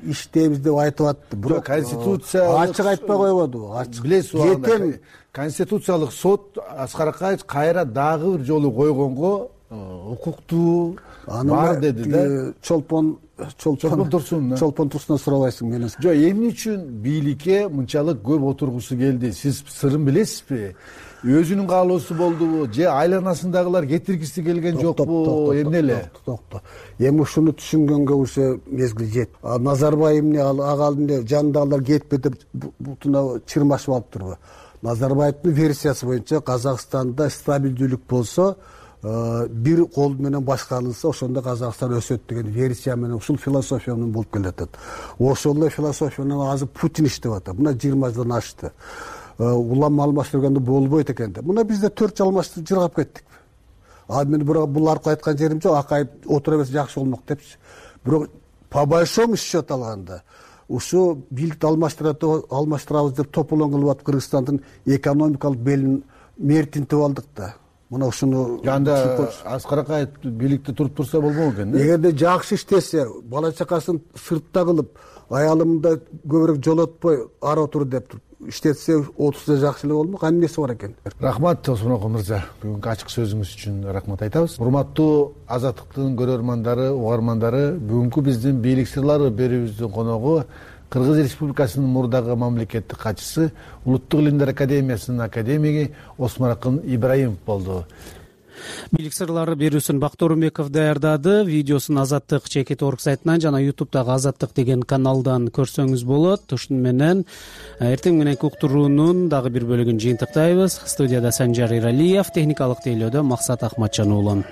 иштейбиз деп айтып атты. Бирок конституция ачык айтпай койбоду. Билесиз, конституциялык сот Аскар Акаев кайра дагы бир жолу койгонго укуктуу бар деди да. Чолпон Турсундан сурабайсың менен. Жок, эмне үчүн бийликке мынчалык көп отургусу келди? Сиз сырын билесизби? Өзүнүн каалоосу болдубу? Же айланасындагылар кетиргиси келген жокпу? Эмне эле? Токто. Эми ушуну түшүнгөнгө уже мезгил жет. Назарбаев эмне ага алдында жанындагылар кетпе деп бутуна чырмашып алыптырбы? Назарбаевдин версиясы боюнча Казакстанда стабилдүүлүк болсо, бир кол менен башкарылса, ошондо Казакстан өсөт деген версия менен ушул философия менен болуп келатат. Ошол эле философия менен азыр Путин иштеп атат. Мына 20 жылдан ашты. Улам алмаштырганда болбойт экен деп. Мына бизде 4 жыл алмаштырып жыргап кеттик. Ал мен бул аркы айткан жерим жок, Акаев отура берсе жакшы болмок депчи. Бирок по большому счету алганда ушу бийликти алмаштырабыз деп тополоң кылып атып Кыргызстандын экономикалык белин мертинтип алдык да. Мына ушуну анда Аскар Акаев бийликте туруп турса болмок экен. Эгерде жакшы иштесе, бала чакасын сыртта кылып, аялымда көбүрөөк жолотпой ары отур деп иштетсе, отурса жакшы эле болмок. Эмнеси бар экен? Рахмат Осмонокул мырза. Бүгүнкү ачык сөзүңүз үчүн рахмат айтабыз. Урматтуу Азаттыктын көрөрмандары, угармандары, бүгүнкү биздин бийлик сырлары берүүбүздүн коногу Кыргыз Республикасынын мурдагы мамлекеттик катчысы, Улуттук илимдер академиясынын академиги Осмонокул Ибраимов болду. бийлик сырлары берүүсүн Бактор Умеков даярдады. Видеосун Азаттык чекит орг сайтынан жана ютубтагы Азаттык деген каналдан көрсөңүз болот. Ушуну менен эртең мененки уктуруунун дагы бир бөлүгүн жыйынтыктайбыз. Студияда Санжар Иралиев, техникалык тейлөөдө Максат Акматжан уулу.